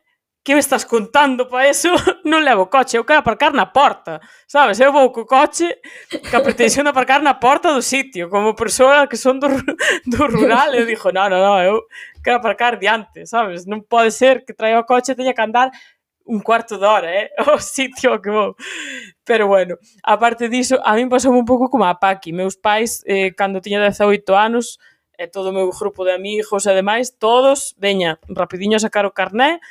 que me estás contando para eso? Non levo coche, eu quero aparcar na porta, sabes? Eu vou co coche que a pretensión de aparcar na porta do sitio, como persoa que son do rural, eu dixo, no, eu quero aparcar diante, sabes? Non pode ser que traia o coche e teña que andar un cuarto de hora, ao sitio ao que vou. Pero bueno, aparte diso, a min pasou un pouco como a Paqui. Meus pais, cando tiña 18 anos, e todo o meu grupo de amigos e demais, todos, veña, rapidiño a sacar o carné.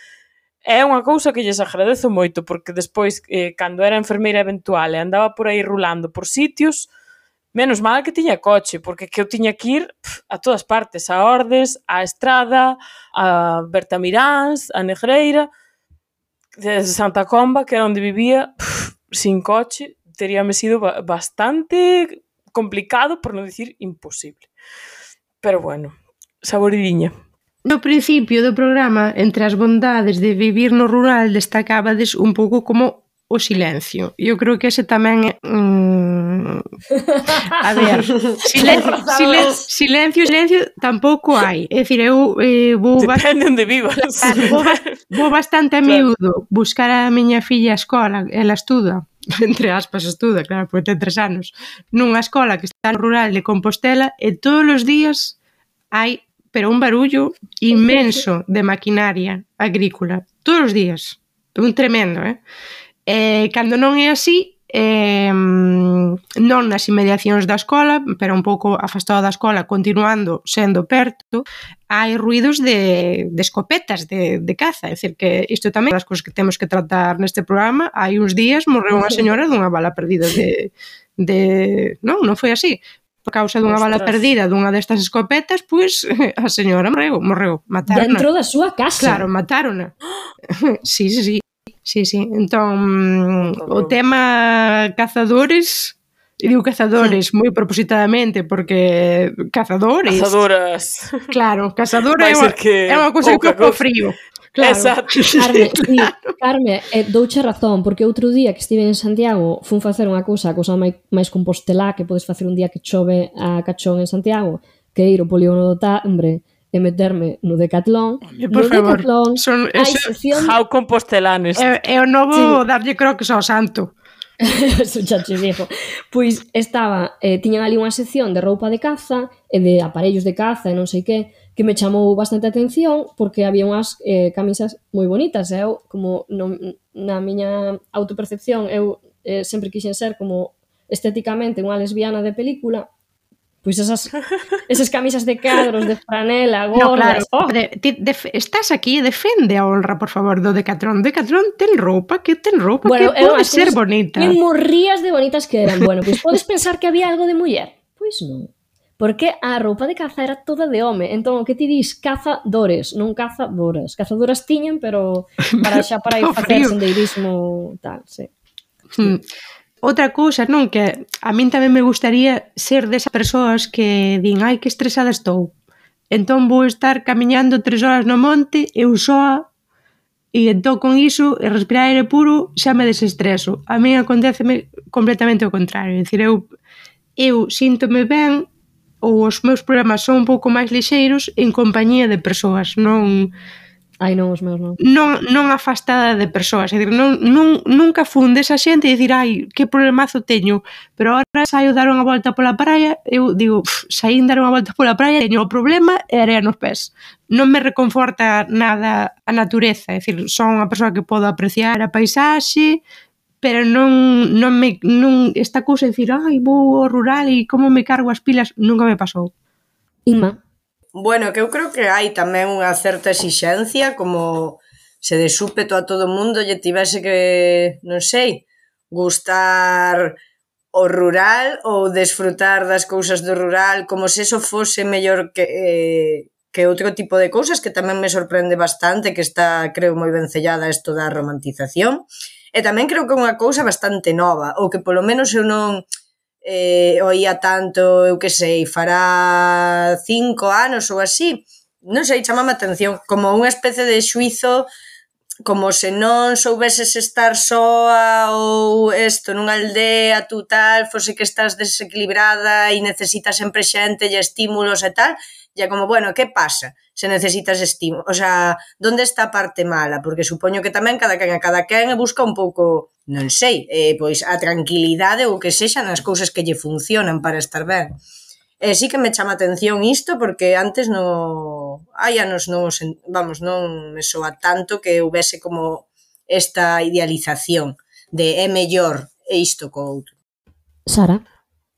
É unha cousa que lles agradezo moito, porque despois, cando era enfermeira eventual e andaba por aí rulando por sitios, menos mal que tiña coche, porque que eu tiña que ir a todas partes, a Ordes, a Estrada, a Bertamiráns, a Negreira, desde Santa Comba, que era onde vivía, sin coche, teríame sido bastante complicado, por non dicir imposible. Pero bueno, saboridiña. No principio do programa, entre as bondades de vivir no rural, destacabades un pouco como o silencio. Eu creo que ese tamén é... A ver, silencio tampouco hai. É dicir, eu vou... Depende onde vivas. Vou bastante a miúdo buscar a miña filla á escola, ela estuda, entre aspas estuda, claro, porque ten 3 anos, nunha escola que está no rural de Compostela, e todos os días hai pero un barullo inmenso de maquinaria agrícola, todos os días, un tremendo, cando non é así, non nas inmediacións da escola, pero un pouco afastado da escola, continuando sendo perto, hai ruidos de escopetas, de caza, é dicir, que isto tamén é das cousas que temos que tratar neste programa. Hai uns días morreu unha señora dunha bala perdida non foi así. Por causa dunha bala perdida dunha destas escopetas, pois a señora morreu, mataron. Dentro da súa casa. Claro, mataron. Sí. Entón, o tema cazadores, e digo cazadores moi propositadamente porque cazadoras. Claro, cazadora é unha cousa que co frío. Claro. Exacto. Carme, douche razón, porque outro día que estive en Santiago fun facer unha cousa máis compostelá que podes facer un día que chove a cachón en Santiago, que ir ao polígono do Tambre e meterme no Decathlon. Por favor, hai sección... How compostelanes. É o novo darlle croques ao santo. Eso xa che dixo. Pois tiñan ali unha sección de roupa de caza e de aparellos de caza e non sei que me chamou bastante a atención porque había unhas camisas moi bonitas. Eu, como na miña autopercepción, eu sempre quixen ser como estéticamente unha lesbiana de película, pois esas camisas de cadros, de franela, gordas... No, claro, estás aquí, defende a honra, por favor, do Decathlon. Decathlon ten roupa que pode ser bonita. Me morrías de bonitas que eran. Bueno, pois podes pensar que había algo de muller? Pois non. Porque a roupa de caza era toda de home. Entón, o que ti dis, cazadores, non cazadoras. Cazadoras tiñen, pero para ir facer sendeirismo tal, sí. Outra cousa, non, que a min tamén me gustaría ser desas persoas que din, ai, que estresada estou. Entón vou estar camiñando 3 horas no monte, eu soa, e entón con iso, e respirar aire puro, xa me desestreso. A min aconteceme completamente o contrario. É dicir, eu síntome ben, ou os meus problemas son un pouco máis lixeiros en compañía de persoas, non... Ai, non, os meus non. Non afastada de persoas, é dicir, nunca fun desa xente e dicir, ai, que problemazo teño, pero agora saio dar unha volta pola praia, eu digo, saín dar unha volta pola praia, teño o problema e area nos pés. Non me reconforta nada a natureza, é dicir, son unha persoa que podo apreciar a paisaxe, pero non esta cousa de dicir, ai, vou ao rural e como me cargo as pilas, nunca me pasou. Inma? Bueno, que eu creo que hai tamén unha certa exixencia, como se de súpeto a todo mundo lle tivese que, non sei, gustar o rural ou desfrutar das cousas do rural, como se eso fose mellor que outro tipo de cousas, que tamén me sorprende bastante, que está, creo, moi vencellada isto da romantización. E tamén creo que é unha cousa bastante nova, ou que polo menos eu non oía tanto, eu que sei, fará 5 anos ou así, non sei, chamame a atención, como unha especie de xuizo, como se non soubeses estar soa ou isto nunha aldea, tú tal, fose que estás desequilibrada e necesitas sempre xente e estímulos e tal, e como, bueno, que pasa se necesitas estímulos? O sea, onde está a parte mala? Porque supoño que tamén cada quen busca un pouco, non sei, pois a tranquilidade ou que sexan as cousas que lle funcionan para estar ben. Sí que me chama atención isto porque antes hai anos non me soa tanto que houbese como esta idealización de é mellor isto co outro. Sara?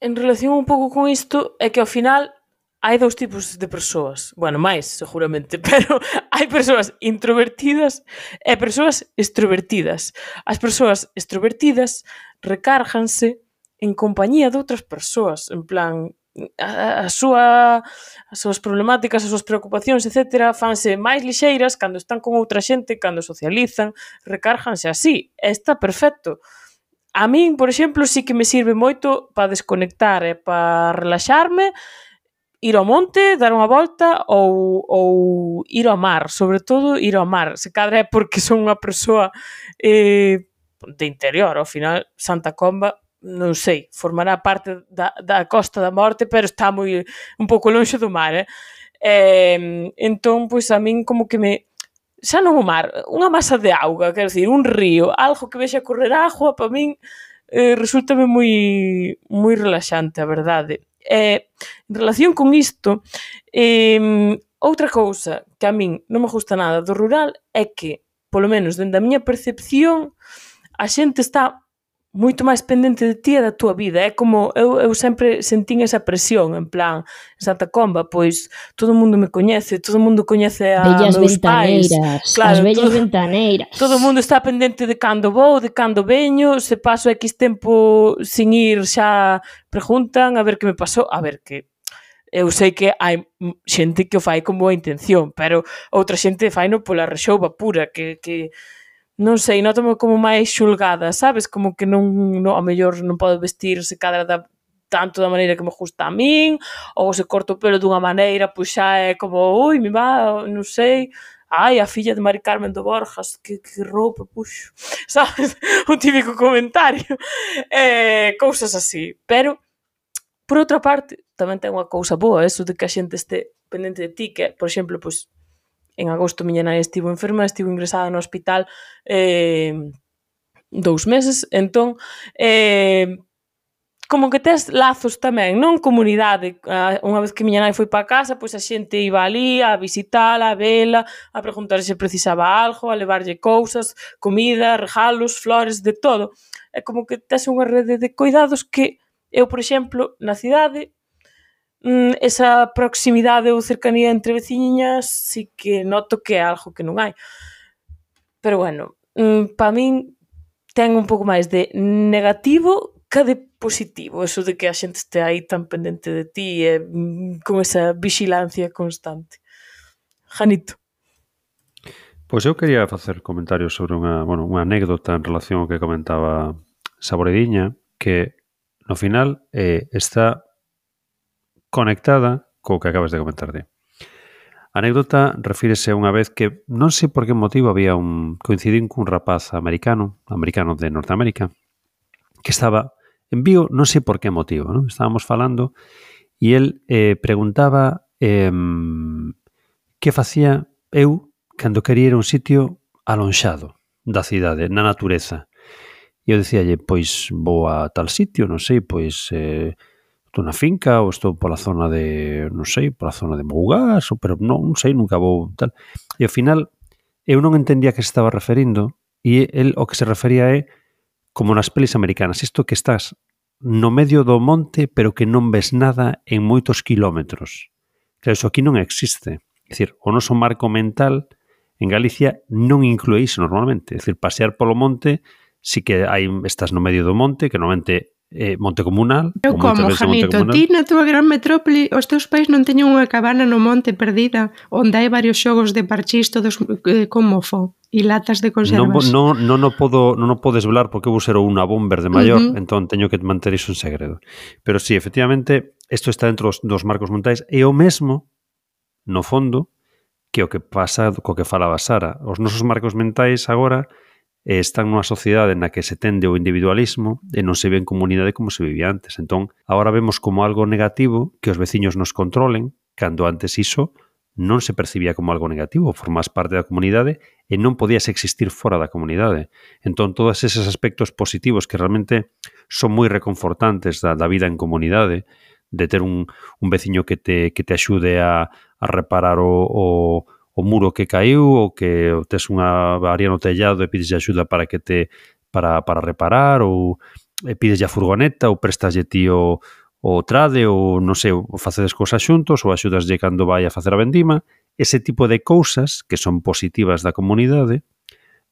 En relación un pouco con isto, é que ao final hai dous tipos de persoas. Bueno, máis, seguramente, pero hai persoas introvertidas e persoas extrovertidas. As persoas extrovertidas recárganse en compañía de outras persoas, en plan, as súas problemáticas, as súas preocupacións, etc., fanse máis lixeiras cando están con outra xente, cando socializan, recárganse así. Está perfecto. A min, por exemplo, sí que me sirve moito para desconectar e para relaxarme, ir ao monte, dar unha volta ou ir ao mar, sobre todo ir ao mar. Se cadra é porque son unha persoa de interior, ao final Santa Comba, non sei, formará parte da Costa da Morte, pero está un pouco lonxe do mar, entón, pois a min como que xa non o mar, unha masa de auga, quero dicir, un río, algo que vexa correr agua, para min resultame moi relaxante, a verdade. En relación con isto, outra cousa que a min non me gusta nada do rural é que, polo menos dende a miña percepción, a xente está moito máis pendente de ti e da túa vida. É como, eu sempre sentín esa presión, en plan, en Santa Comba, pois, todo o mundo me coñece, todo o mundo coñece a bellas meus pais. Claro, as bellas ventaneiras. Todo o mundo está pendente de cando vou, de cando veño, se paso X tempo sin ir, xa preguntan a ver que me pasou, a ver que... Eu sei que hai xente que o fai con boa intención, pero outra xente faino pola rexouba pura, que non sei, notame como máis xulgada, sabes? Como que non ao mellor non podo vestir se cadra tanto da maneira que me gusta a min, ou se corto o pelo dunha maneira, pois xa é como, ui, mi má, non sei, ai, a filla de Mari Carmen do Borjas, que roupa puxo, sabes? Un típico comentario. Cousas así, pero, por outra parte, tamén ten unha cousa boa, eso de que a xente este pendente de ti, que, por exemplo, pois, en agosto miña nai estivo enferma, estivo ingresada no hospital 2 meses, entón como que tes lazos tamén, non? Comunidade. Unha vez que miña nai foi para casa, pois a xente iba ali a visitala, a vela, a preguntar se precisaba algo, a levarlle cousas, comida, regalos, flores, de todo. É como que tes unha rede de cuidados que eu, por exemplo, na cidade, esa proximidade ou cercanía entre veciñas sí que noto que é algo que non hai. Pero bueno, para min ten un pouco máis de negativo que de positivo, eso de que a xente este aí tan pendente de ti e con esa vixilancia constante. Janito. Pois eu quería facer comentarios sobre unha anécdota en relación ao que comentaba Saborediña, que no final está conectada co que acabas de comentar. A anécdota refírese a unha vez que non sei por que motivo coincidín cun rapaz americano de Norteamérica, que estaba en Vigo, non sei por que motivo, non? Estábamos falando e el preguntaba que facía eu cando quería ir a un sitio alonxado da cidade, na natureza. E eu dicíalle, pois vou a tal sitio, non sei, pois... estou na finca ou estou pola zona de, non sei, pola zona de Mougás, pero non sei, nunca vou tal. E ao final eu non entendía que se estaba referindo e el o que se refería é como nas pelis americanas, isto que estás no medio do monte pero que non ves nada en moitos kilómetros. Claro, iso aquí non existe. É dicir, o noso marco mental en Galicia non inclúe iso normalmente. É dicir, pasear polo monte, si que estás no medio do monte, que normalmente monte comunal. Eu como, Janito, ti na túa gran metrópoli os teus pais non teñen unha cabana no monte perdida onde hai varios xogos de parchís todos con mofo e latas de conservas. Non o podes velar porque eu vou ser unha bomber de maior, entón teño que manter iso en segredo. Pero sí, efectivamente, isto está dentro dos marcos mentais e o mesmo, no fondo, que o que pasa co que falaba Sara. Os nosos marcos mentais agora están nunha sociedade na que se tende o individualismo e non se ve en comunidade como se vivía antes. Entón, agora vemos como algo negativo que os veciños nos controlen, cando antes iso non se percibía como algo negativo, formas parte da comunidade e non podías existir fora da comunidade. Entón, todos eses aspectos positivos que realmente son moi reconfortantes da vida en comunidade, de ter un veciño que te axude a reparar o muro que caiu ou que tes unha avaría no tellado e pides axuda para para reparar ou pides a furgoneta ou prestaslle ti o trade ou, non sei, facedes cousas xuntos ou axudaslle cando vai a facer a vendima. Ese tipo de cousas que son positivas da comunidade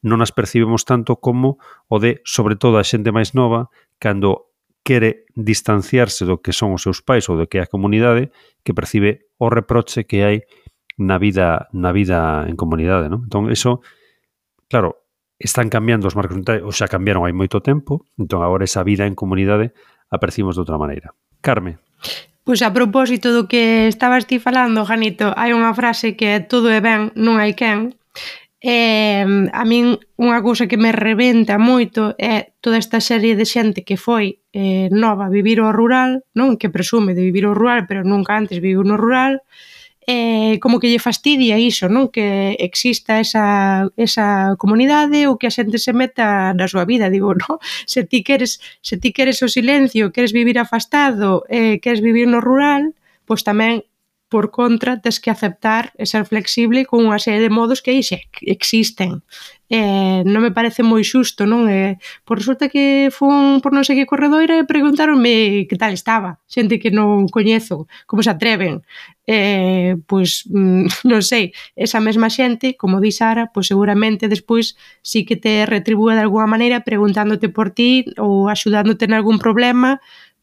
non as percibimos tanto como o de, sobre todo, a xente máis nova cando quere distanciarse do que son os seus pais ou do que é a comunidade, que percibe o reproche que hai na vida en comunidade, non? Entón, eso, claro, están cambiando os marcos mentais, ou xa cambiaron hai moito tempo, entón agora esa vida en comunidade a percibimos de outra maneira. Carme. Pois a propósito do que estabas ti falando, Janito, hai unha frase que é todo é ben, non hai quen. A min unha cousa que me rebenta moito é toda esta serie de xente que foi nova a vivir ao rural, non, que presume de vivir ao rural, pero nunca antes viviu no rural, como que lle fastidia iso, non? Que exista esa comunidade ou que a xente se meta na súa vida. Digo, non? Se ti queres o silencio, queres vivir afastado, queres vivir no rural, pois tamén por contra, tes que aceptar e ser flexible con unha serie de modos que aí xa existen. Non me parece moi xusto, non? Pois resulta que fun por non sei que corredoira e preguntaronme que tal estaba. Xente que non coñezo, como se atreven. Pois, non sei, esa mesma xente, como di Sara, pois seguramente despois sí que te retribúe de alguna maneira preguntándote por ti ou axudándote en algún problema,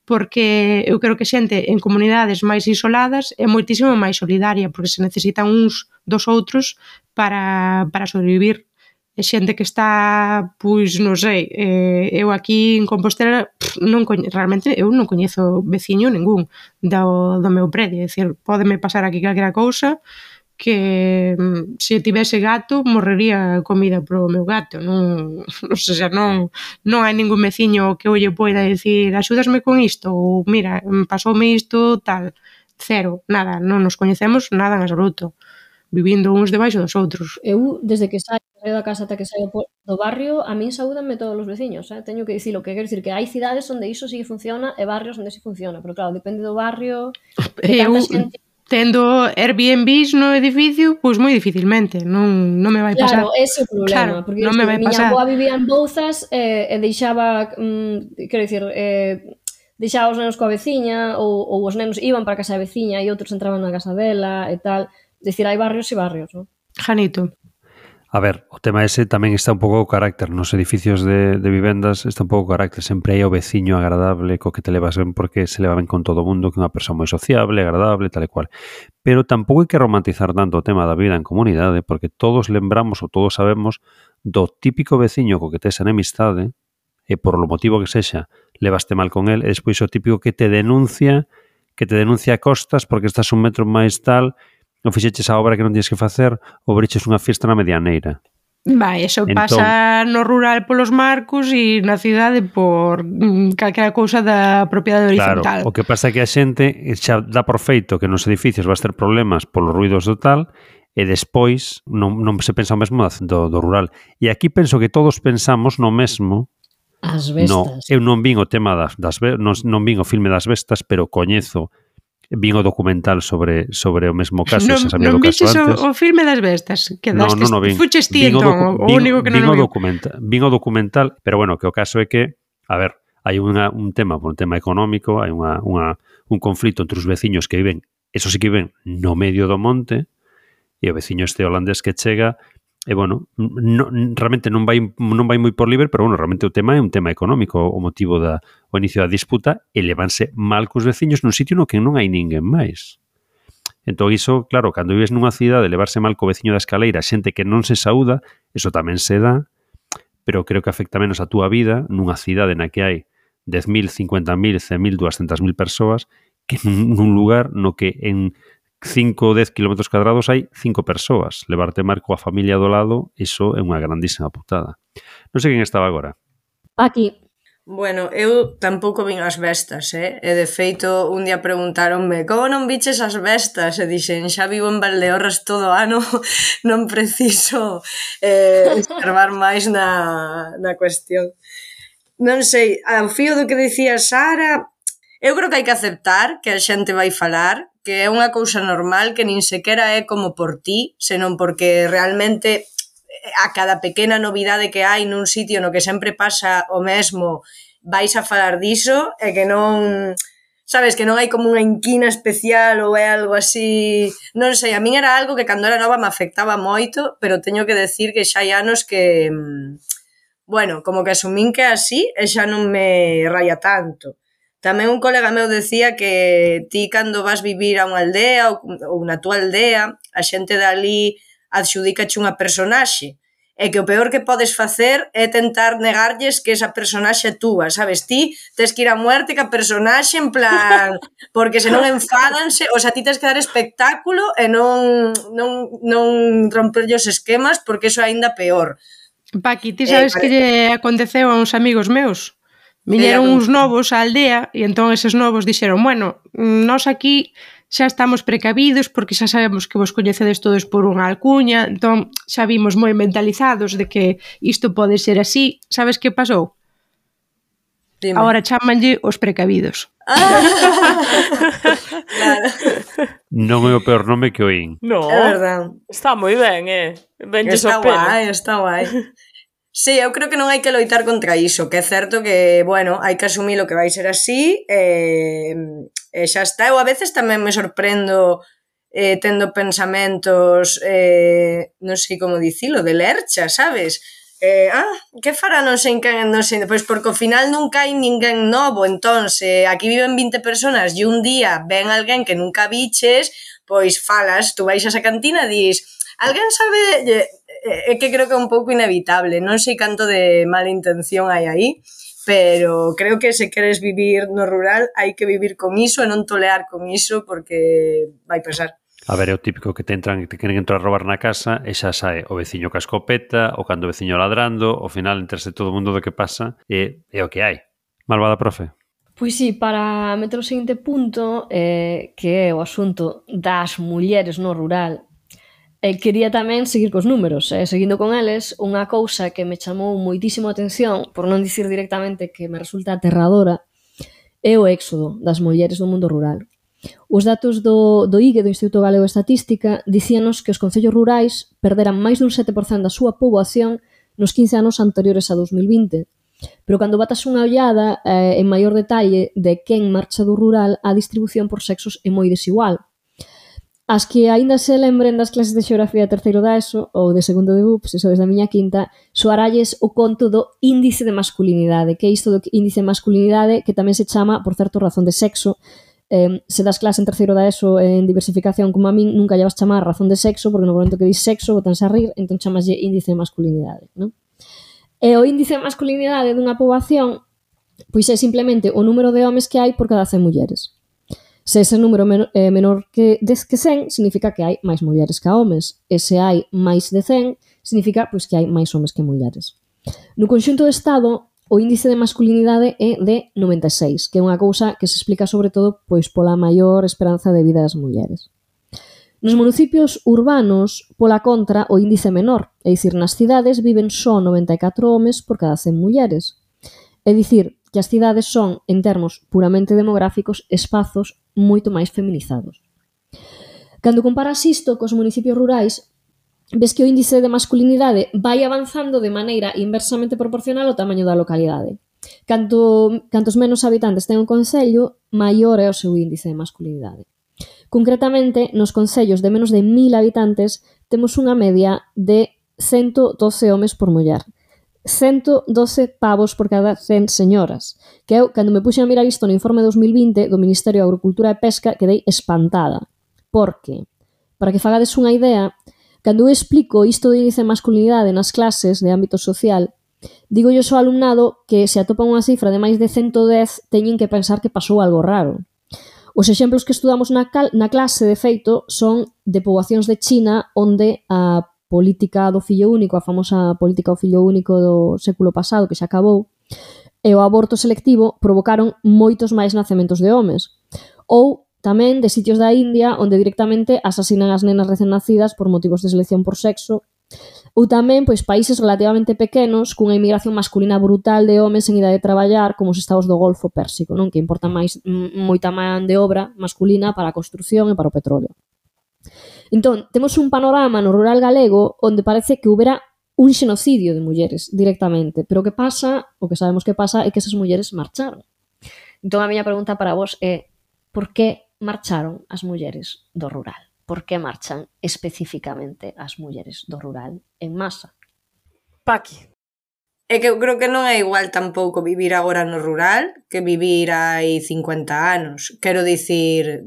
porque eu creo que xente en comunidades máis isoladas é moitísimo máis solidaria, porque se necesitan uns dos outros para sobrevivir. É xente que está, pois, non sei, eu aquí en Compostela realmente eu non coñezo veciño ningún do meu predio, é dicir, pódeme pasar aquí calquera cousa que se tivese gato morrería comida pro meu gato, non hai ningún veciño que eu lle poida dicir axúdasme con isto ou mira, pasoume isto tal, cero, nada, non nos coñecemos nada en absoluto, vivindo uns debaixo dos outros. Eu, desde que saio da casa ata que saio do barrio, a min saúdanme todos os veciños, teño que dicilo, que quero dicir que hai cidades onde iso sí funciona e barrios onde sí funciona, pero claro, depende do barrio, de tanta xente. Tendo Airbnbs no edificio, pois moi dificilmente, non me vai pasar. Claro, ese é o problema, porque non me vai pasar. Miña avó vivía en Bouzas e deixaba, quero dicir, deixaba os nenos coa veciña ou os nenos iban para a casa da veciña e outros entraban na casa dela e tal. Dicir, hai barrios e barrios, non? Janito. A ver, o tema ese tamén está un pouco o carácter. Nos edificios de vivendas está un pouco o carácter. Sempre hai o veciño agradable co que te levas ben porque se leva ben con todo o mundo, que é unha persoa moi sociable, agradable, tal e cual. Pero tampouco hai que romantizar tanto o tema da vida en comunidade porque todos lembramos ou todos sabemos do típico veciño co que tes enemistade e por lo motivo que sexa levaste mal con el e despois o típico que te denuncia a costas porque estás un metro máis tal, non fixeches a obra que non tienes que facer ou abriches unha fiesta na medianeira. Vai, eso pasa no rural polos marcos e na cidade por calquera cousa da propiedade horizontal. Claro, o que pasa é que a xente xa dá por feito que nos edificios vas ter problemas polos ruidos do tal e despois non se pensa o mesmo do rural. E aquí penso que todos pensamos no mesmo. As bestas. Eu non vin o tema non vin o filme das bestas, pero coñezo vin o documental sobre o mesmo caso, se sabía do caso antes. O filme das bestas, que non vin. Fuches ti entón, o único que non vin o documental, pero bueno, que o caso é que, a ver, hai un tema económico, hai un conflito entre os veciños que viven, eso sí que viven no medio do monte, e o veciño este holandés que chega E, bueno, realmente non vai moi por libre, pero, bueno, realmente o tema é un tema económico, o motivo o inicio da disputa, e levanse mal cos veciños nun sitio no que non hai ninguén máis. Entón, iso, claro, cando vives nunha cidade, levarse mal co veciño da escaleira, xente que non se saúda, iso tamén se dá, pero creo que afecta menos a túa vida nunha cidade na que hai 10.000, 50.000, 100.000, 200.000 persoas que nun lugar no que en 5 ou 10 km cuadrados hai 5 persoas. Levarte mar coa familia do lado, iso é unha grandísima putada. Non sei quen estaba agora. Aquí. Bueno, eu tampouco vin as bestas, E de feito, un día preguntáronme como non viches as bestas? E dixen, xa vivo en Valdeorras todo o ano, non preciso escarbar máis na cuestión. Non sei, ao fío do que dicía Sara, eu creo que hai que aceptar que a xente vai falar, que é unha cousa normal, que nin sequera é como por ti, senón porque realmente a cada pequena novidade que hai nun sitio no que sempre pasa o mesmo, vais a falar diso, e que non, sabes, que non hai como unha inquina especial ou é algo así, non sei, a min era algo que cando era nova me afectaba moito, pero teño que decir que xa hai anos que, bueno, como que asumín que así e xa non me raya tanto. Tamén un colega meu decía que ti cando vas vivir a unha aldea ou na túa aldea, a xente dali adxudícache unha personaxe, e que o peor que podes facer é tentar negarlles que esa personaxe é túa, sabes? Ti tes que ir a muerte que a personaxe, en plan, porque senón enfádanse, o sea, ti tes que dar espectáculo e non romperlle os esquemas, porque iso é aínda peor. Paqui, ti sabes que lle aconteceu a uns amigos meus? Viñeron uns novos á aldea e entón eses novos dixeron, bueno, nós aquí xa estamos precavidos porque xa sabemos que vos coñecedes todos por unha alcuña, entón xa vimos moi mentalizados de que isto pode ser así. Sabes que pasou? Dime. Agora chámanlle os precavidos. Claro. Non é o peor nome que oín. No, é verdade. Está moi ben, Benlles ao pelo. Está guai. Sí, eu creo que non hai que loitar contra iso, que é certo que, bueno, hai que asumir o que vai ser así, e xa está. Eu a veces tamén me sorprendo tendo pensamentos, non sei como dicilo, de lercha, sabes? Que fará non sei quen, non sei, pois porque ao final nunca hai ninguén novo, entón, se aquí viven 20 personas e un día ven alguén que nunca viches, pois falas, tú vais a esa cantina e dis, alguén sabe... É que creo que é un pouco inevitable, non sei canto de mala intención hai aí, pero creo que se queres vivir no rural hai que vivir con iso e non tolear con iso porque vai pasar. A ver, é o típico que te queren entrar a robar na casa e xa sae o veciño ca escopeta ou cando o veciño ladrando, ao final enterse todo o mundo do que pasa e é o que hai. Malvada profe? Pois sí, para meter o seguinte punto, que é o asunto das mulleres no rural, quería tamén seguir cos números, seguindo con eles, unha cousa que me chamou moitísimo a atención, por non dicir directamente que me resulta aterradora, é o éxodo das mulleres do mundo rural. Os datos do IGE, do Instituto Galego de Estatística, dicíanos que os concellos rurais perderan máis dun 7% da súa poboación nos 15 anos anteriores a 2020. Pero cando batas unha ollada en maior detalle de quen marcha do rural, a distribución por sexos é moi desigual. As que aínda se lembren das clases de xeografía de terceiro da ESO ou de segundo de BUP, se sois da miña quinta, soaralles o conto do índice de masculinidade, que é isto do índice de masculinidade que tamén se chama, por certo, razón de sexo. Se das clase en terceiro da ESO en diversificación como a min, nunca lle vas chamar razón de sexo, porque no momento que dis sexo, botanse a rir, entón chamaslle índice de masculinidade, non? E o índice de masculinidade dunha poboación pois é simplemente o número de homes que hai por cada 100 mulleres. Se ese número é menor que 100, significa que hai máis mulleres que homes. E se hai máis de 100, significa pois, que hai máis homes que mulleres. No conxunto do Estado, o índice de masculinidade é de 96, que é unha cousa que se explica sobre todo pois, pola maior esperanza de vida das mulleres. Nos municipios urbanos, pola contra, o índice é menor, é dicir, nas cidades viven só 94 homes por cada 100 mulleres. É dicir, que as cidades son, en termos puramente demográficos, espazos moito máis feminizados. Cando comparas isto cos municipios rurais, ves que o índice de masculinidade vai avanzando de maneira inversamente proporcional ao tamaño da localidade. Cantos menos habitantes ten un concello, maior é o seu índice de masculinidade. Concretamente, nos concellos de menos de 1000 habitantes temos unha media de 112 homes por muller. 112 pavos por cada 100 señoras. Que eu, cando me puxen a mirar isto no informe 2020 do Ministerio de Agricultura e Pesca, quedei espantada. Porque, para que fagades unha idea, cando eu explico isto de índice de masculinidade nas clases de ámbito social, digo yo ao alumnado que se atopan unha cifra de máis de 110 teñen que pensar que pasou algo raro. Os exemplos que estudamos na clase, de feito, son de poboacións de China onde a política do fillo único, a famosa política do fillo único do século pasado, que xa acabou, e o aborto selectivo provocaron moitos máis nacementos de homes. Ou tamén de sitios da India onde directamente asasinan as nenas recén nacidas por motivos de selección por sexo. Ou tamén países relativamente pequenos cunha inmigración masculina brutal de homes en idade de traballar, como os estados do Golfo Pérsico, non? Que importa moita man de obra masculina para a construción e para o petróleo. Entón, temos un panorama no rural galego onde parece que houbera un xenocidio de mulleres directamente, pero o que sabemos que pasa é que esas mulleres marcharon. Entón, a miña pregunta para vos é: por que marcharon as mulleres do rural? Por que marchan especificamente as mulleres do rural en masa? Paqui. É que eu creo que non é igual tampouco vivir agora no rural que vivir hai 50 anos. Quero dicir,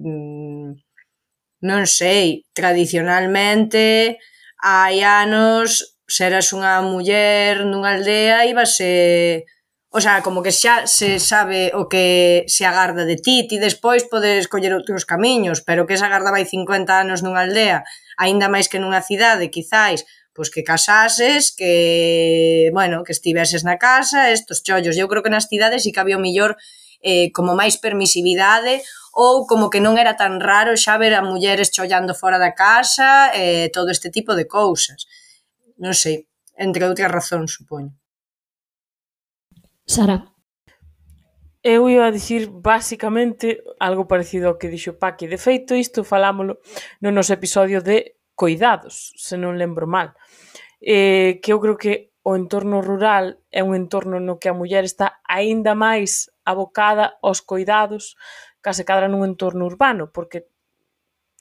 non sei, tradicionalmente, hai anos, se eras unha muller nunha aldea, íbase... O sea, como que xa se sabe o que se agarda de ti despois podes coller outros camiños, pero que se agardaba hai 50 anos nunha aldea, aínda máis que nunha cidade, quizáis, pois que casases, que, bueno, que estiveses na casa, estos chollos. Eu creo que nas cidades sí que había o millor como máis permisividade, ou como que non era tan raro xa ver a mulleres chollando fora da casa, todo este tipo de cousas. Non sei, entre outras razóns, supoño. Sara. Eu iba a dicir basicamente algo parecido ao que dixo Paqui. De feito, isto falámolo no noso episodio de coidados, se non lembro mal. Que eu creo que o entorno rural é un entorno no que a muller está aínda máis abocada aos coidados case cadra nun entorno urbano, porque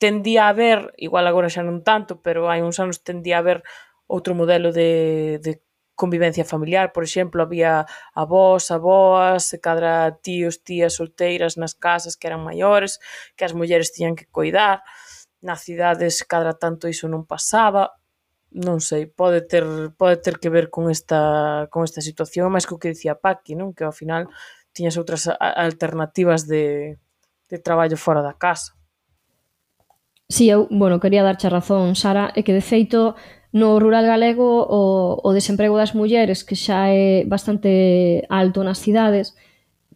tendía a haber, igual agora xa non tanto, pero hai uns anos tendía a haber outro modelo de convivencia familiar. Por exemplo, había avós, aboas, cadra tíos, tías solteiras nas casas que eran maiores, que as mulleres tiñan que coidar. Nas cidades cadra tanto iso non pasaba. Non sei, pode ter que ver con esta situación, máis que o que dicía Paqui, non? Que ao final tiñas outras alternativas de traballo fora da casa. Si, eu, quería darche razón, Sara, é que de feito no rural galego o desemprego das mulleres, que xa é bastante alto nas cidades,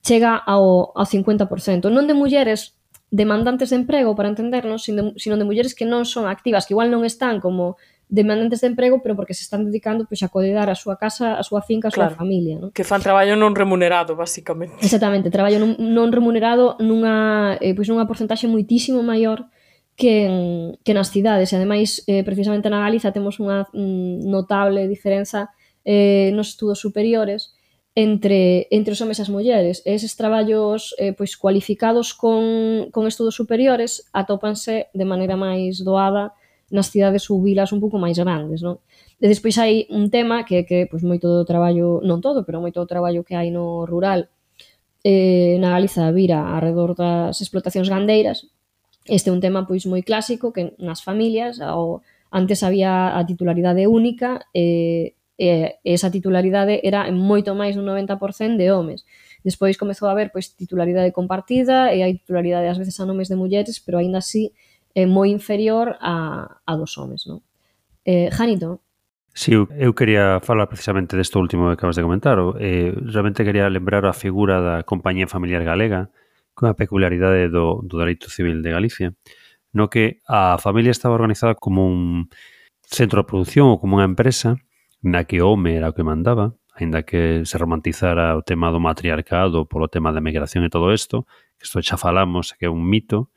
chega ao 50%. Non de mulleres demandantes de emprego, para entendernos, sino de mulleres que non son activas, que igual non están como demandantes de emprego, pero porque se están dedicando a coidar a súa casa, a súa finca, a súa familia, non? Que fan traballo non remunerado, basicamente. Exactamente, traballo non remunerado nunha porcentaxe moitísimo maior que nas cidades. E ademais, precisamente na Galiza temos unha notable diferenza nos estudos superiores entre os homes e as mulleres. Eses traballos cualificados con estudos superiores atópanse de maneira máis doada nas cidades ou vilas un pouco máis grandes, non? E despois hai un tema que moito do traballo, non todo, pero moito do traballo que hai no rural na Galiza vira alrededor das explotacións gandeiras. Este é un tema moi clásico que nas familias antes había a titularidade única e esa titularidade era en moito máis dun 90% de homes. Despois comezou a haber titularidade compartida e hai titularidade ás veces a nomes de mulleres, pero aínda así é moi inferior a dos homes, non? Janito? Sí, eu quería falar precisamente desto último que acabas de comentar. Realmente quería lembrar a figura da Compañía Familiar Galega, cunha peculiaridade do dereito civil de Galicia, no que a familia estaba organizada como un centro de produción ou como unha empresa na que o home era o que mandaba, aínda que se romantizara o tema do matriarcado polo tema da migración e todo isto, que isto xa falamos, que é un mito.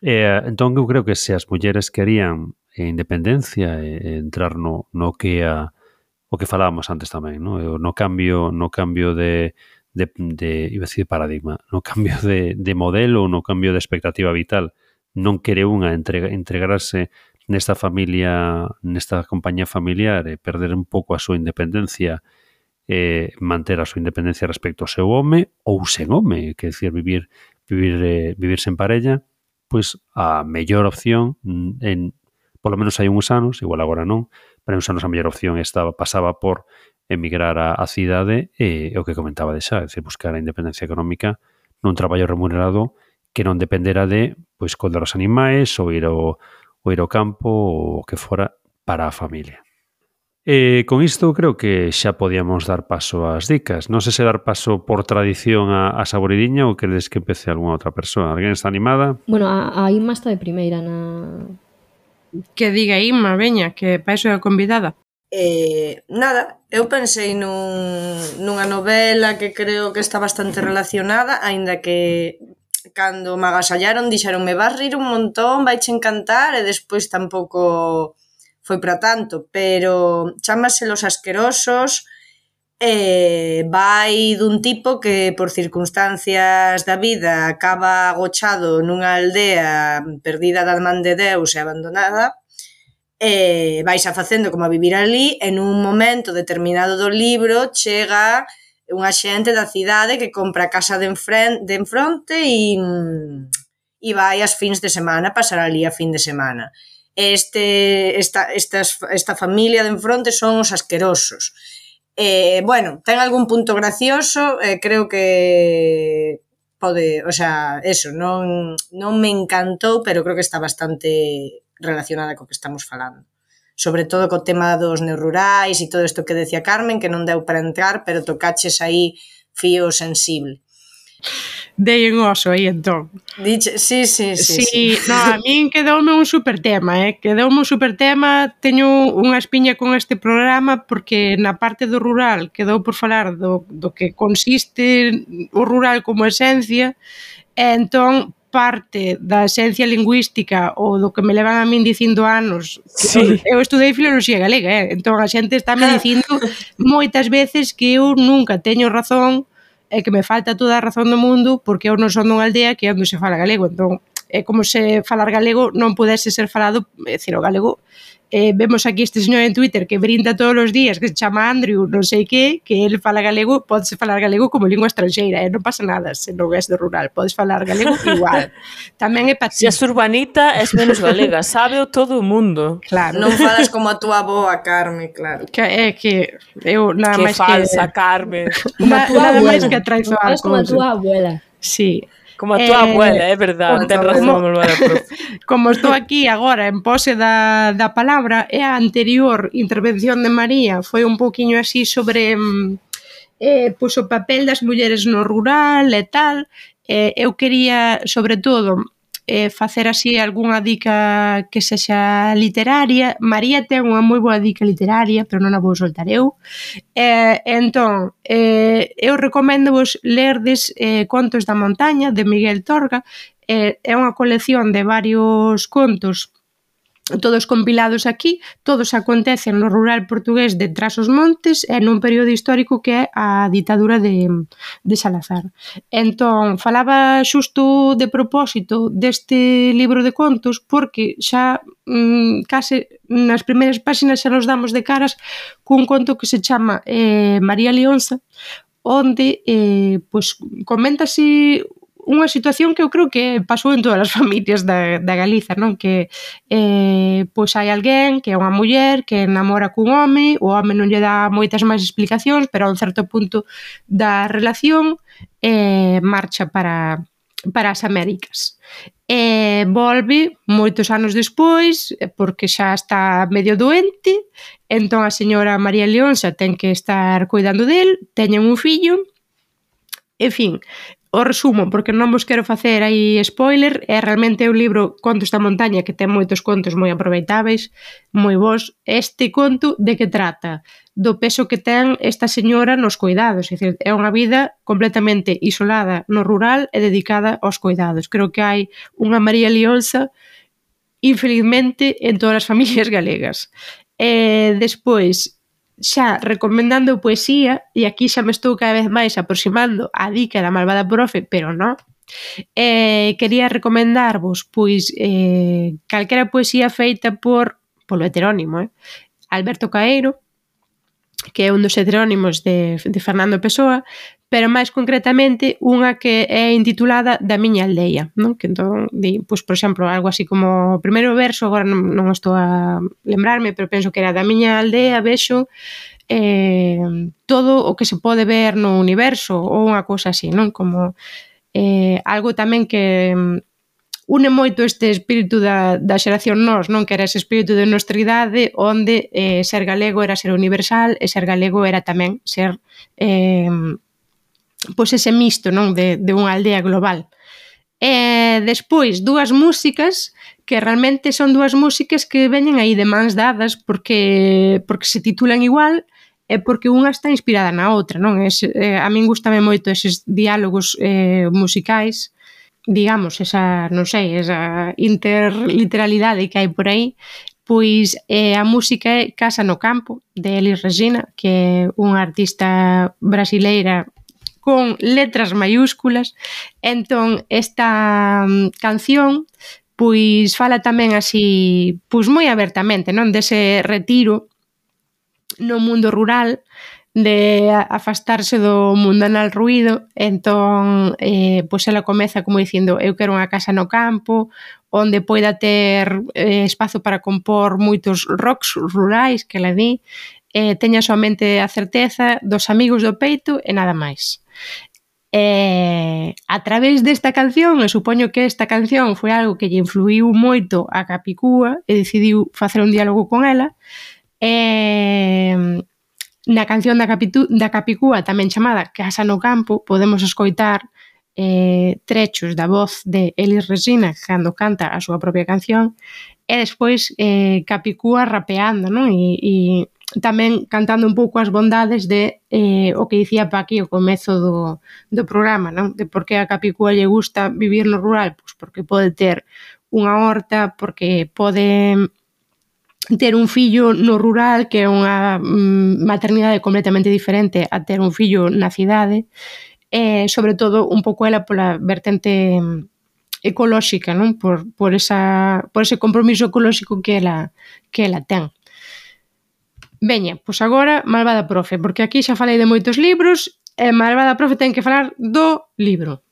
Entón, eu creo que se as mulleres querían independencia e entrar no que é o que falábamos antes tamén, no cambio de iba a decir paradigma, no cambio de modelo ou no cambio de expectativa vital, non quere unha entregarse nesta familia, nesta compañía familiar e perder un pouco a súa independencia manter a súa independencia respecto ao seu home ou sen home, que decir, vivir sen parella, pois a mellor opción polo menos hai uns anos, igual agora non, pero uns anos a mellor opción pasaba por emigrar á cidade e o que comentaba de xa, é dicir, buscar a independencia económica nun traballo remunerado que non dependera de pois coidar os animais ou ir ao campo ou o que fora para a familia. Con isto creo que xa podíamos dar paso ás dicas. Non sei se dar paso por tradición a Saboridiña ou queredes que empece algunha outra persoa. Alguén está animada? Bueno, a Inma está de primeira Que diga Inma, veña, que para iso é a convidada. Nada, eu pensei nunha novela que creo que está bastante relacionada, aínda que cando me agasallaron dixeronme vas rir un montón, vaiche encantar, e despois tampouco foi para tanto, pero chámase Los Asquerosos, vai dun tipo que por circunstancias da vida acaba agochado nunha aldea perdida da man de Deus e abandonada, vais a facendo como a vivir ali, en un momento determinado do libro chega unha xente da cidade que compra a casa de enfronte e vai as fins de semana, pasar ali a fin de semana. Esta familia de enfronte son os asquerosos. Bueno, ten algún punto gracioso, creo que pode, o sea, eso, non me encantou, pero creo que está bastante relacionada co que estamos falando. Sobre todo co tema dos neorrurais e todo isto que decía Carmen, que non deu para entrar, pero tocaches aí fío sensible. Dei un oso aí, entón. Diche, sí. No, a min quedoume un super tema, quedoume un super tema, teño unha espiña con este programa porque na parte do rural quedou por falar do que consiste o rural como esencia, e entón parte da esencia lingüística ou do que me levan a min dicindo anos. Sí. Eu estudei filoloxía galega, entón a xente está me dicindo moitas veces que eu nunca teño razón e que me falta toda a razón do mundo porque eu non son dunha aldea que é onde se fala galego, entón é como se falar galego non pudese ser falado, é dicir, o galego. Vemos aquí este señor en Twitter que brinda todos os días, que se chama Andrew, non sei que ele fala galego, podes falar galego como lingua estranxeira, non pasa nada se non és do rural, podes falar galego igual. Tamén é para ti. Se és urbanita, és menos galega, sábeo todo o mundo. Claro. Non falas como a túa avoa, Carmen, claro. Que é que eu nada Que máis falsa, Carmen. nada máis que traizoar Es como a túa abuela. Sí. Como a túa abuela, é verdade, ten razón, abuela, profe. Como estou aquí agora en pose da palabra, e a anterior intervención de María foi un pouquiño así sobre pois o papel das mulleres no rural e tal. Eu quería, sobre todo, facer así algunha dica que sexa literaria. María ten unha moi boa dica literaria, pero non a vou soltar eu. Entón, eu recomendo-vos lerdes Contos da Montaña, de Miguel Torga. É unha colección de varios contos, todos compilados aquí, todos acontecen no rural portugués de Trás-os-Montes e nun período histórico que é a ditadura de Salazar. Entón, falaba xusto de propósito deste libro de contos porque xa case nas primeiras páxinas xa nos damos de caras cun conto que se chama María Leonza, onde pois comenta así unha situación que eu creo que pasou en todas as familias da Galiza, non? Que pois hai alguén que é unha muller que namora cun home, o home non lle dá moitas máis explicacións, pero a un certo punto da relación marcha para as Américas. Volve moitos anos despois porque xa está medio doente, entón a señora María Leonza ten que estar cuidando del, teñen un fillo, en fin. O resumo, porque non vos quero facer aí spoiler, é realmente un libro, Contos da Montaña, que ten moitos contos moi aproveitáveis, moi bons. Este conto de que trata? Do peso que ten esta señora nos cuidados, é dicir, é unha vida completamente isolada no rural e dedicada aos cuidados. Creo que hai unha María Leonza, infelizmente, en todas as familias galegas. Despois, xa recomendando poesía, e aquí xa me estou cada vez máis aproximando a dica da malvada profe, pero non, Quería recomendarvos, pois, calquera poesía feita polo heterónimo, Alberto Caeiro, que é un dos heterónimos de Fernando Pessoa, pero máis concretamente unha que é intitulada Da miña aldea, non? Que entón, pois, por exemplo, algo así como o primeiro verso, agora non estou a lembrarme, pero penso que era: da miña aldea vexo todo o que se pode ver no universo, ou unha cousa así, non? Como algo tamén que une moito este espírito da xeración nós, non? Que era ese espírito de nostridade onde ser galego era ser universal e ser galego era tamén ser pois ese misto, non? De unha aldea global. Despois, dúas músicas que realmente son dúas músicas que veñen aí de mans dadas porque se titulan igual e porque unha está inspirada na outra, non? A min gustame moito eses diálogos musicais, digamos, esa, non sei, esa interliteralidade que hai por aí. Pois a música é Casa no Campo, de Elis Regina, que é unha artista brasileira con letras maiúsculas. Entón, esta canción pois fala tamén así, pois moi abertamente, non? Dese retiro no mundo rural, de afastarse do mundanal ruído. Entón, pois ela comeza como dicindo: eu quero unha casa no campo onde poida ter espazo para compor moitos rocks rurais, que ela di, teña somente a certeza dos amigos do peito e nada máis. A través desta canción, e supoño que esta canción foi algo que lle influiu moito a Capicúa e decidiu facer un diálogo con ela, na canción da Capicúa, tamén chamada Casa no Campo, podemos escoitar trechos da voz de Elis Regina cando canta a súa propia canción, e despois Capicúa rapeando, non? E tamén cantando un pouco as bondades de o que dicía Paqui ao comezo do programa, non? De por que a Capicúa lle gusta vivir no rural, pois porque pode ter unha horta, porque pode ter un fillo no rural, que é unha maternidade completamente diferente a ter un fillo na cidade, e sobre todo un pouco ela pola vertente ecolóxica, non? Por ese compromiso ecolóxico que ela ten. Veña, pois agora Malvada Profe, porque aquí xa falei de moitos libros e Malvada Profe ten que falar do libro.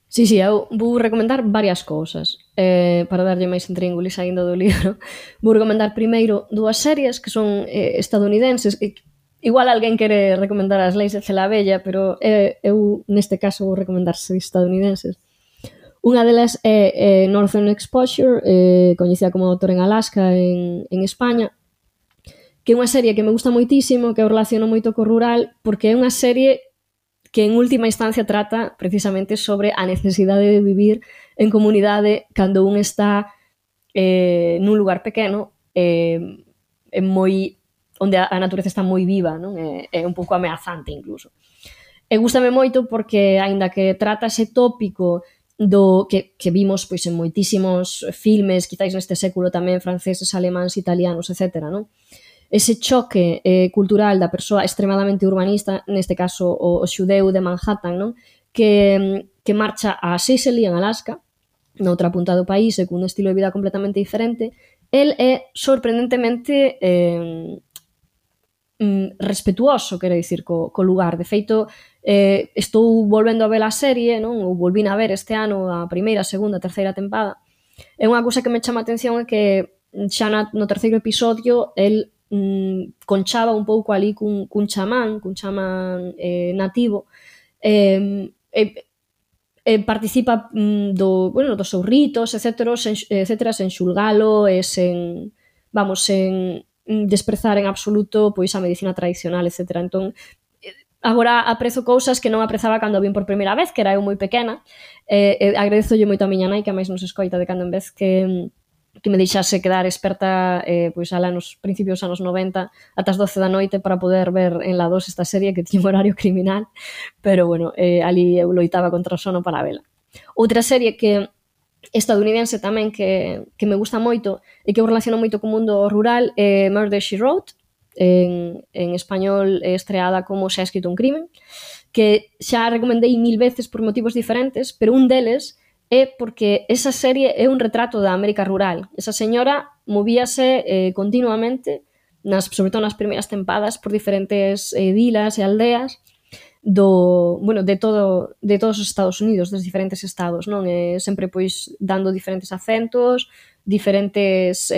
Sí, eu vou recomendar varias cousas para darlle máis intríngulis aínda do libro. Vou recomendar primeiro dúas series que son estadounidenses. Igual alguén quere recomendar As leis de Celavella, pero eu neste caso vou recomendar series estadounidenses. Unha delas é Northern Exposure, coñecida como Doctor en Alaska en España, que é unha serie que me gusta moitísimo, que eu relaciono moito co rural, porque é unha serie que en última instancia trata precisamente sobre a necesidade de vivir en comunidade cando un está nun lugar pequeno, onde a natureza está moi viva, non? É un pouco ameazante incluso. E gústame moito porque, aínda que trata ese tópico do que vimos pois en moitísimos filmes, quizáis neste século tamén franceses, alemáns, italianos, etc., non? Ese choque cultural da persoa extremadamente urbanista, neste caso o xudeu de Manhattan, non? Que marcha a Sicily, en Alaska, na outra punta do país, e cun estilo de vida completamente diferente. El é sorprendentemente respetuoso, quero dicir, co lugar. De feito, estou volvendo a ver a serie, non? Ou volvín a ver este ano a primeira, segunda, terceira tempada. E unha cousa que me chama a atención é que xa no terceiro episodio el conchaba un pouco ali cun chamán nativo, participa dos seus ritos, etcétera, sen xulgalo e sen desprezar en absoluto pois a medicina tradicional, etcétera. Entón, agora aprezo cousas que non aprezaba cando vin por primeira vez, que era eu moi pequena. Agradezolle moito a miña nai, que a máis nos escoita de cando en vez, que me deixase quedar experta pois alá nos principios dos anos 90 ata as 12 da noite para poder ver en la 2 esta serie que tiña un horario criminal, pero bueno, ali eu loitaba contra o sono para vela. Outra serie que estadounidense tamén que me gusta moito e que eu relaciono moito co mundo rural é Murder, She Wrote, en español estreada como Se ha escrito un crimen, que xa recomendei 1000 veces por motivos diferentes, pero un deles é porque esa serie é un retrato da América rural. Esa señora movíase continuamente, sobre todo nas primeiras tempadas, por diferentes vilas e aldeas de todos os Estados Unidos, dos diferentes estados, non? Sempre pois dando diferentes acentos, diferentes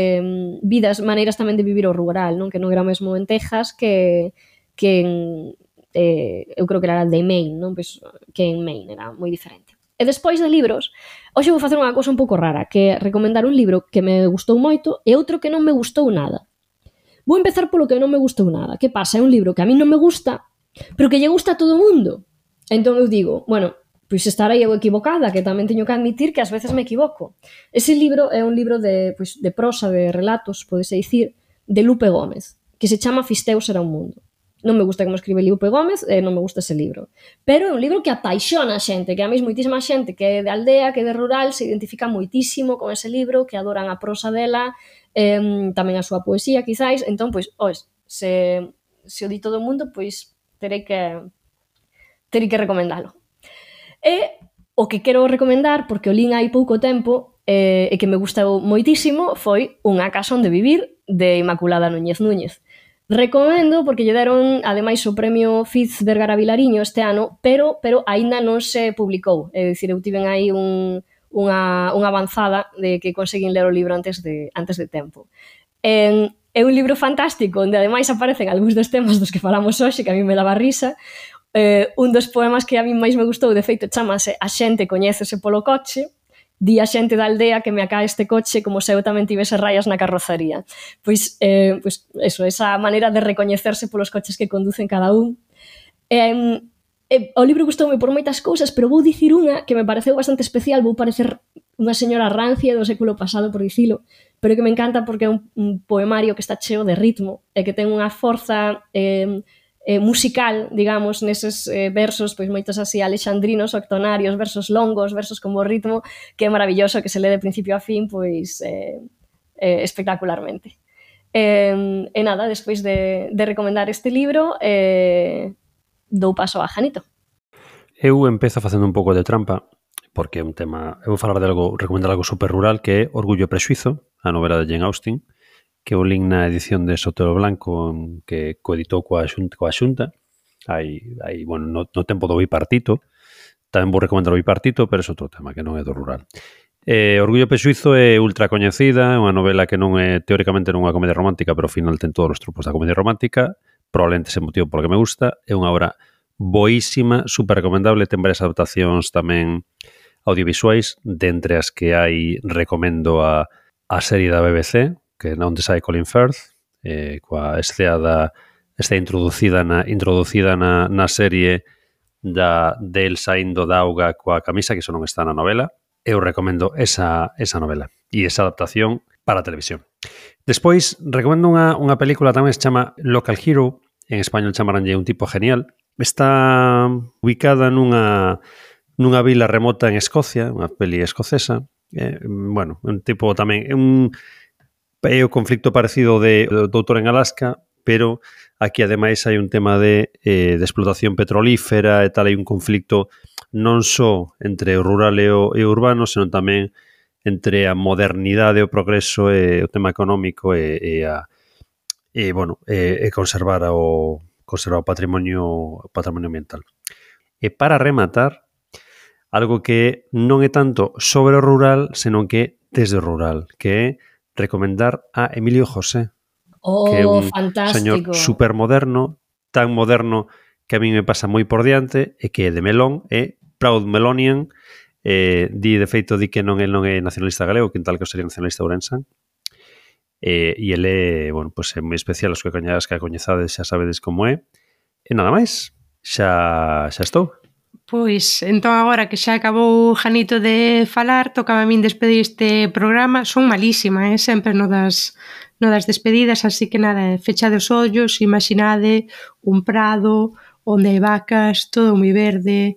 vidas, maneiras tamén de vivir o rural, non? Que non era o mesmo en Texas que en eu creo que era de Maine, non? Pois, que en Maine era moi diferente. E despois de libros, hoxe vou facer unha cousa un pouco rara, que é recomendar un libro que me gustou moito e outro que non me gustou nada. Vou empezar polo que non me gustou nada. Que pasa? É un libro que a mí non me gusta, pero que lle gusta a todo o mundo. Entón eu digo, bueno, pois estarei eu equivocada, que tamén teño que admitir que ás veces me equivoco. Ese libro é un libro de prosa, de relatos, podese dicir, de Lupe Gómez, que se chama Fisteus era un mundo. Non me gusta como escribe Lupe Gómez e non me gusta ese libro. Pero é un libro que apaixona a xente, que a mesmo moitísima xente que é de aldea, que é de rural, se identifica moitísimo con ese libro, que adoran a prosa dela, tamén a súa poesía, quizáis. Entón, pois, se o di todo o mundo, pois terei que recomendalo. E o que quero recomendar, porque o lín hai pouco tempo e que me gustou moitísimo, foi Unha casa onde vivir, de Inmaculada Núñez Núñez. Recomendo porque lle deron, ademais, o premio Fiz Vergara Vilariño este ano, pero aínda non se publicou. É dicir, eu tiven aí unha avanzada de que conseguín ler o libro antes de tempo. É un libro fantástico, onde ademais aparecen algúns dos temas dos que falamos hoxe, que a mí me daba risa. Un dos poemas que a mí máis me gustou, de feito, chamase A xente coñécese polo coche, di a xente da aldea que me acá este coche como se eu tamén tivese raias na carrozaría. Pois eso, esa maneira de recoñecerse polos coches que conducen cada un. O libro gustoume por moitas cousas, pero vou dicir unha que me pareceu bastante especial, vou parecer unha señora rancia do século pasado, por dicilo, pero que me encanta porque é un poemario que está cheo de ritmo e que ten unha forza musical, digamos, neses versos, pois moitos así alexandrinos, octonarios, versos longos, versos con bo ritmo, que é maravilloso, que se lee de principio a fin, pois espectacularmente. E nada, despois de recomendar este libro, dou paso a Janito. Eu empezo facendo un pouco de trampa, porque é un tema... Eu vou falar de algo, recomendar algo super rural, que é Orgullo e Prexuizo, a novela de Jane Austen, que o link na edición de Sotero Blanco que coeditou coa Xunta. Bueno, no tempo do bipartito. Tamén vou recomendar o bipartito, pero é outro tema que non é do rural. Orgullo e Prexuizo é ultra coñecida, é unha novela que non é teóricamente non é unha comedia romántica, pero ao final ten todos os tropos da comedia romántica, probablemente ese motivo polo que me gusta. É unha obra boísima, super recomendable, ten varias adaptacións tamén audiovisuais, de entre as que hai recomendo a serie da BBC, que é onde sai Colin Firth, coa escena introducida na serie del saindo da auga coa camisa, que iso non está na novela. Eu recomendo esa novela e esa adaptación para a televisión. Despois, recomendo unha película tamén que se chama Local Hero, en español chamaranlle Un tipo genial. Está ubicada nunha vila remota en Escocia, unha peli escocesa. Bueno, un tipo tamén... É o conflicto parecido de Doutor en Alaska, pero aquí ademais hai un tema de explotación petrolífera e tal, hai un conflicto non só entre o rural e o urbano, senón tamén entre a modernidade, o progreso e o tema económico e conservar o patrimonio ambiental. E para rematar, algo que non é tanto sobre o rural, senón que desde o rural, que é recomendar a Emilio José, que é un señor supermoderno, tan moderno que a mí me pasa moi por diante, e que é de Melón, é Proud Melonian, de feito di que non é nacionalista galego, que tal que sería nacionalista ourensán, e ele, bueno, pues é moi especial, os que a coñezades xa sabedes como é, e nada máis, xa estou. Pois, entón agora que xa acabou Janito de falar, tocaba a min despedir este programa. Son malísima, sempre no das despedidas, así que nada, fechade os ollos, imaginade un prado onde hai vacas, todo moi verde,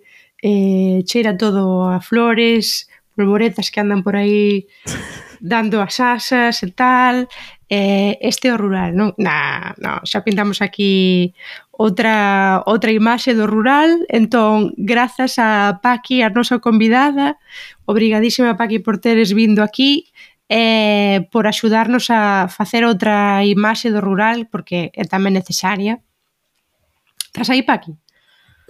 cheira todo a flores, polvoretas que andan por aí dando as asas e tal, este é o rural, non? No, xa pintamos aquí outra imaxe do rural. Entón, grazas a Paqui, a nosa convidada, obrigadísima Paqui por teres vindo aquí, por axudarnos a facer outra imaxe do rural, porque é tamén necesaria. Estás aí, Paqui?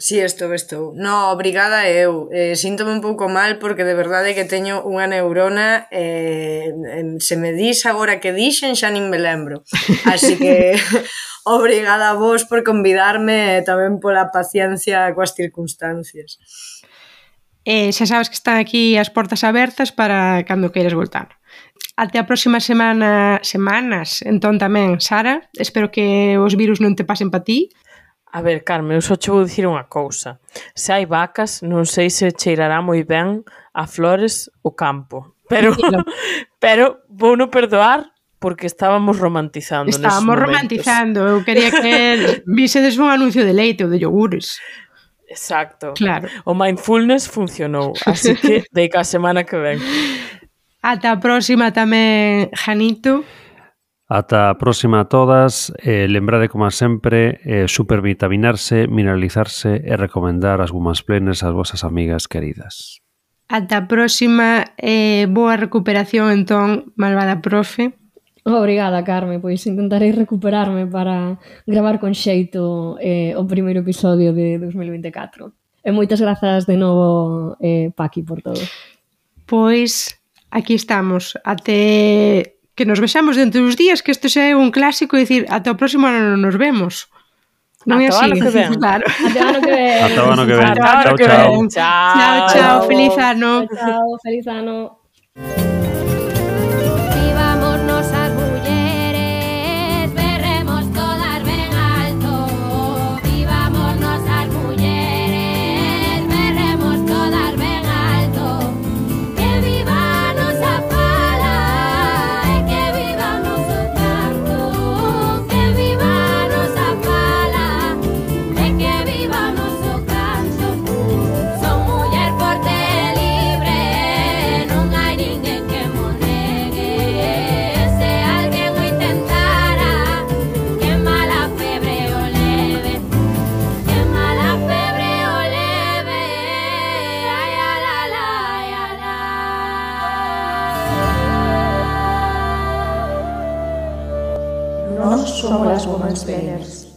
Si, estou. No, obrigada eu. Síntome un pouco mal porque de verdade que teño unha neurona se me dis agora que dixen xa nin me lembro. Así que obrigada a vos por convidarme e tamén pola paciencia coas circunstancias. Xa sabes que están aquí as portas abertas para cando queiras voltar. Até a próxima semanas, entón tamén, Sara, espero que os virus non te pasen pa ti. A ver, Carmen, eu só che vou dicir unha cousa. Se hai vacas, non sei se cheirará moi ben a flores o campo. Pero vou non perdoar porque estábamos romantizando. Estábamos romantizando. Eu quería que visedes un anuncio de leite ou de iogures. Exacto. Claro. O mindfulness funcionou, así que deica a semana que ven. Ata a próxima tamén, Janito. Ata a próxima a todas. Lembrade, como sempre, supervitaminarse, mineralizarse e recomendar as Womansplainers ás vosas amigas queridas. Ata a próxima. Boa recuperación, entón, malvada profe. Obrigada, Carme, pois intentarei recuperarme para gravar con xeito o primeiro episodio de 2024. E moitas grazas de novo, Paqui, por todo. Pois, aquí estamos. Até que nos vexamos dentro dos días, que isto xa é un clásico, dicir, ata o próximo ano nos vemos. Non é así? Ata o ano que ven. Claro. Ata o ano que ven. Ata o ano que ven. Ata o ano que ven. Chao, feliz ano. Chao, feliz ano. Vivámonos as mulleres, berremos todas ben alto. Vivámonos as mulleres, berremos todas ben alto. Que viva a nosa fala e que viva o noso canto. Que viva a nosa fala e que viva o noso canto. Son muller forte e libre, non hai ninguén que mo negue. Se alguén o intentara, que mala febre o leve. Que mala febre o leve. Ai, ala, la, ai, ala. Nós somos as Womansplainers.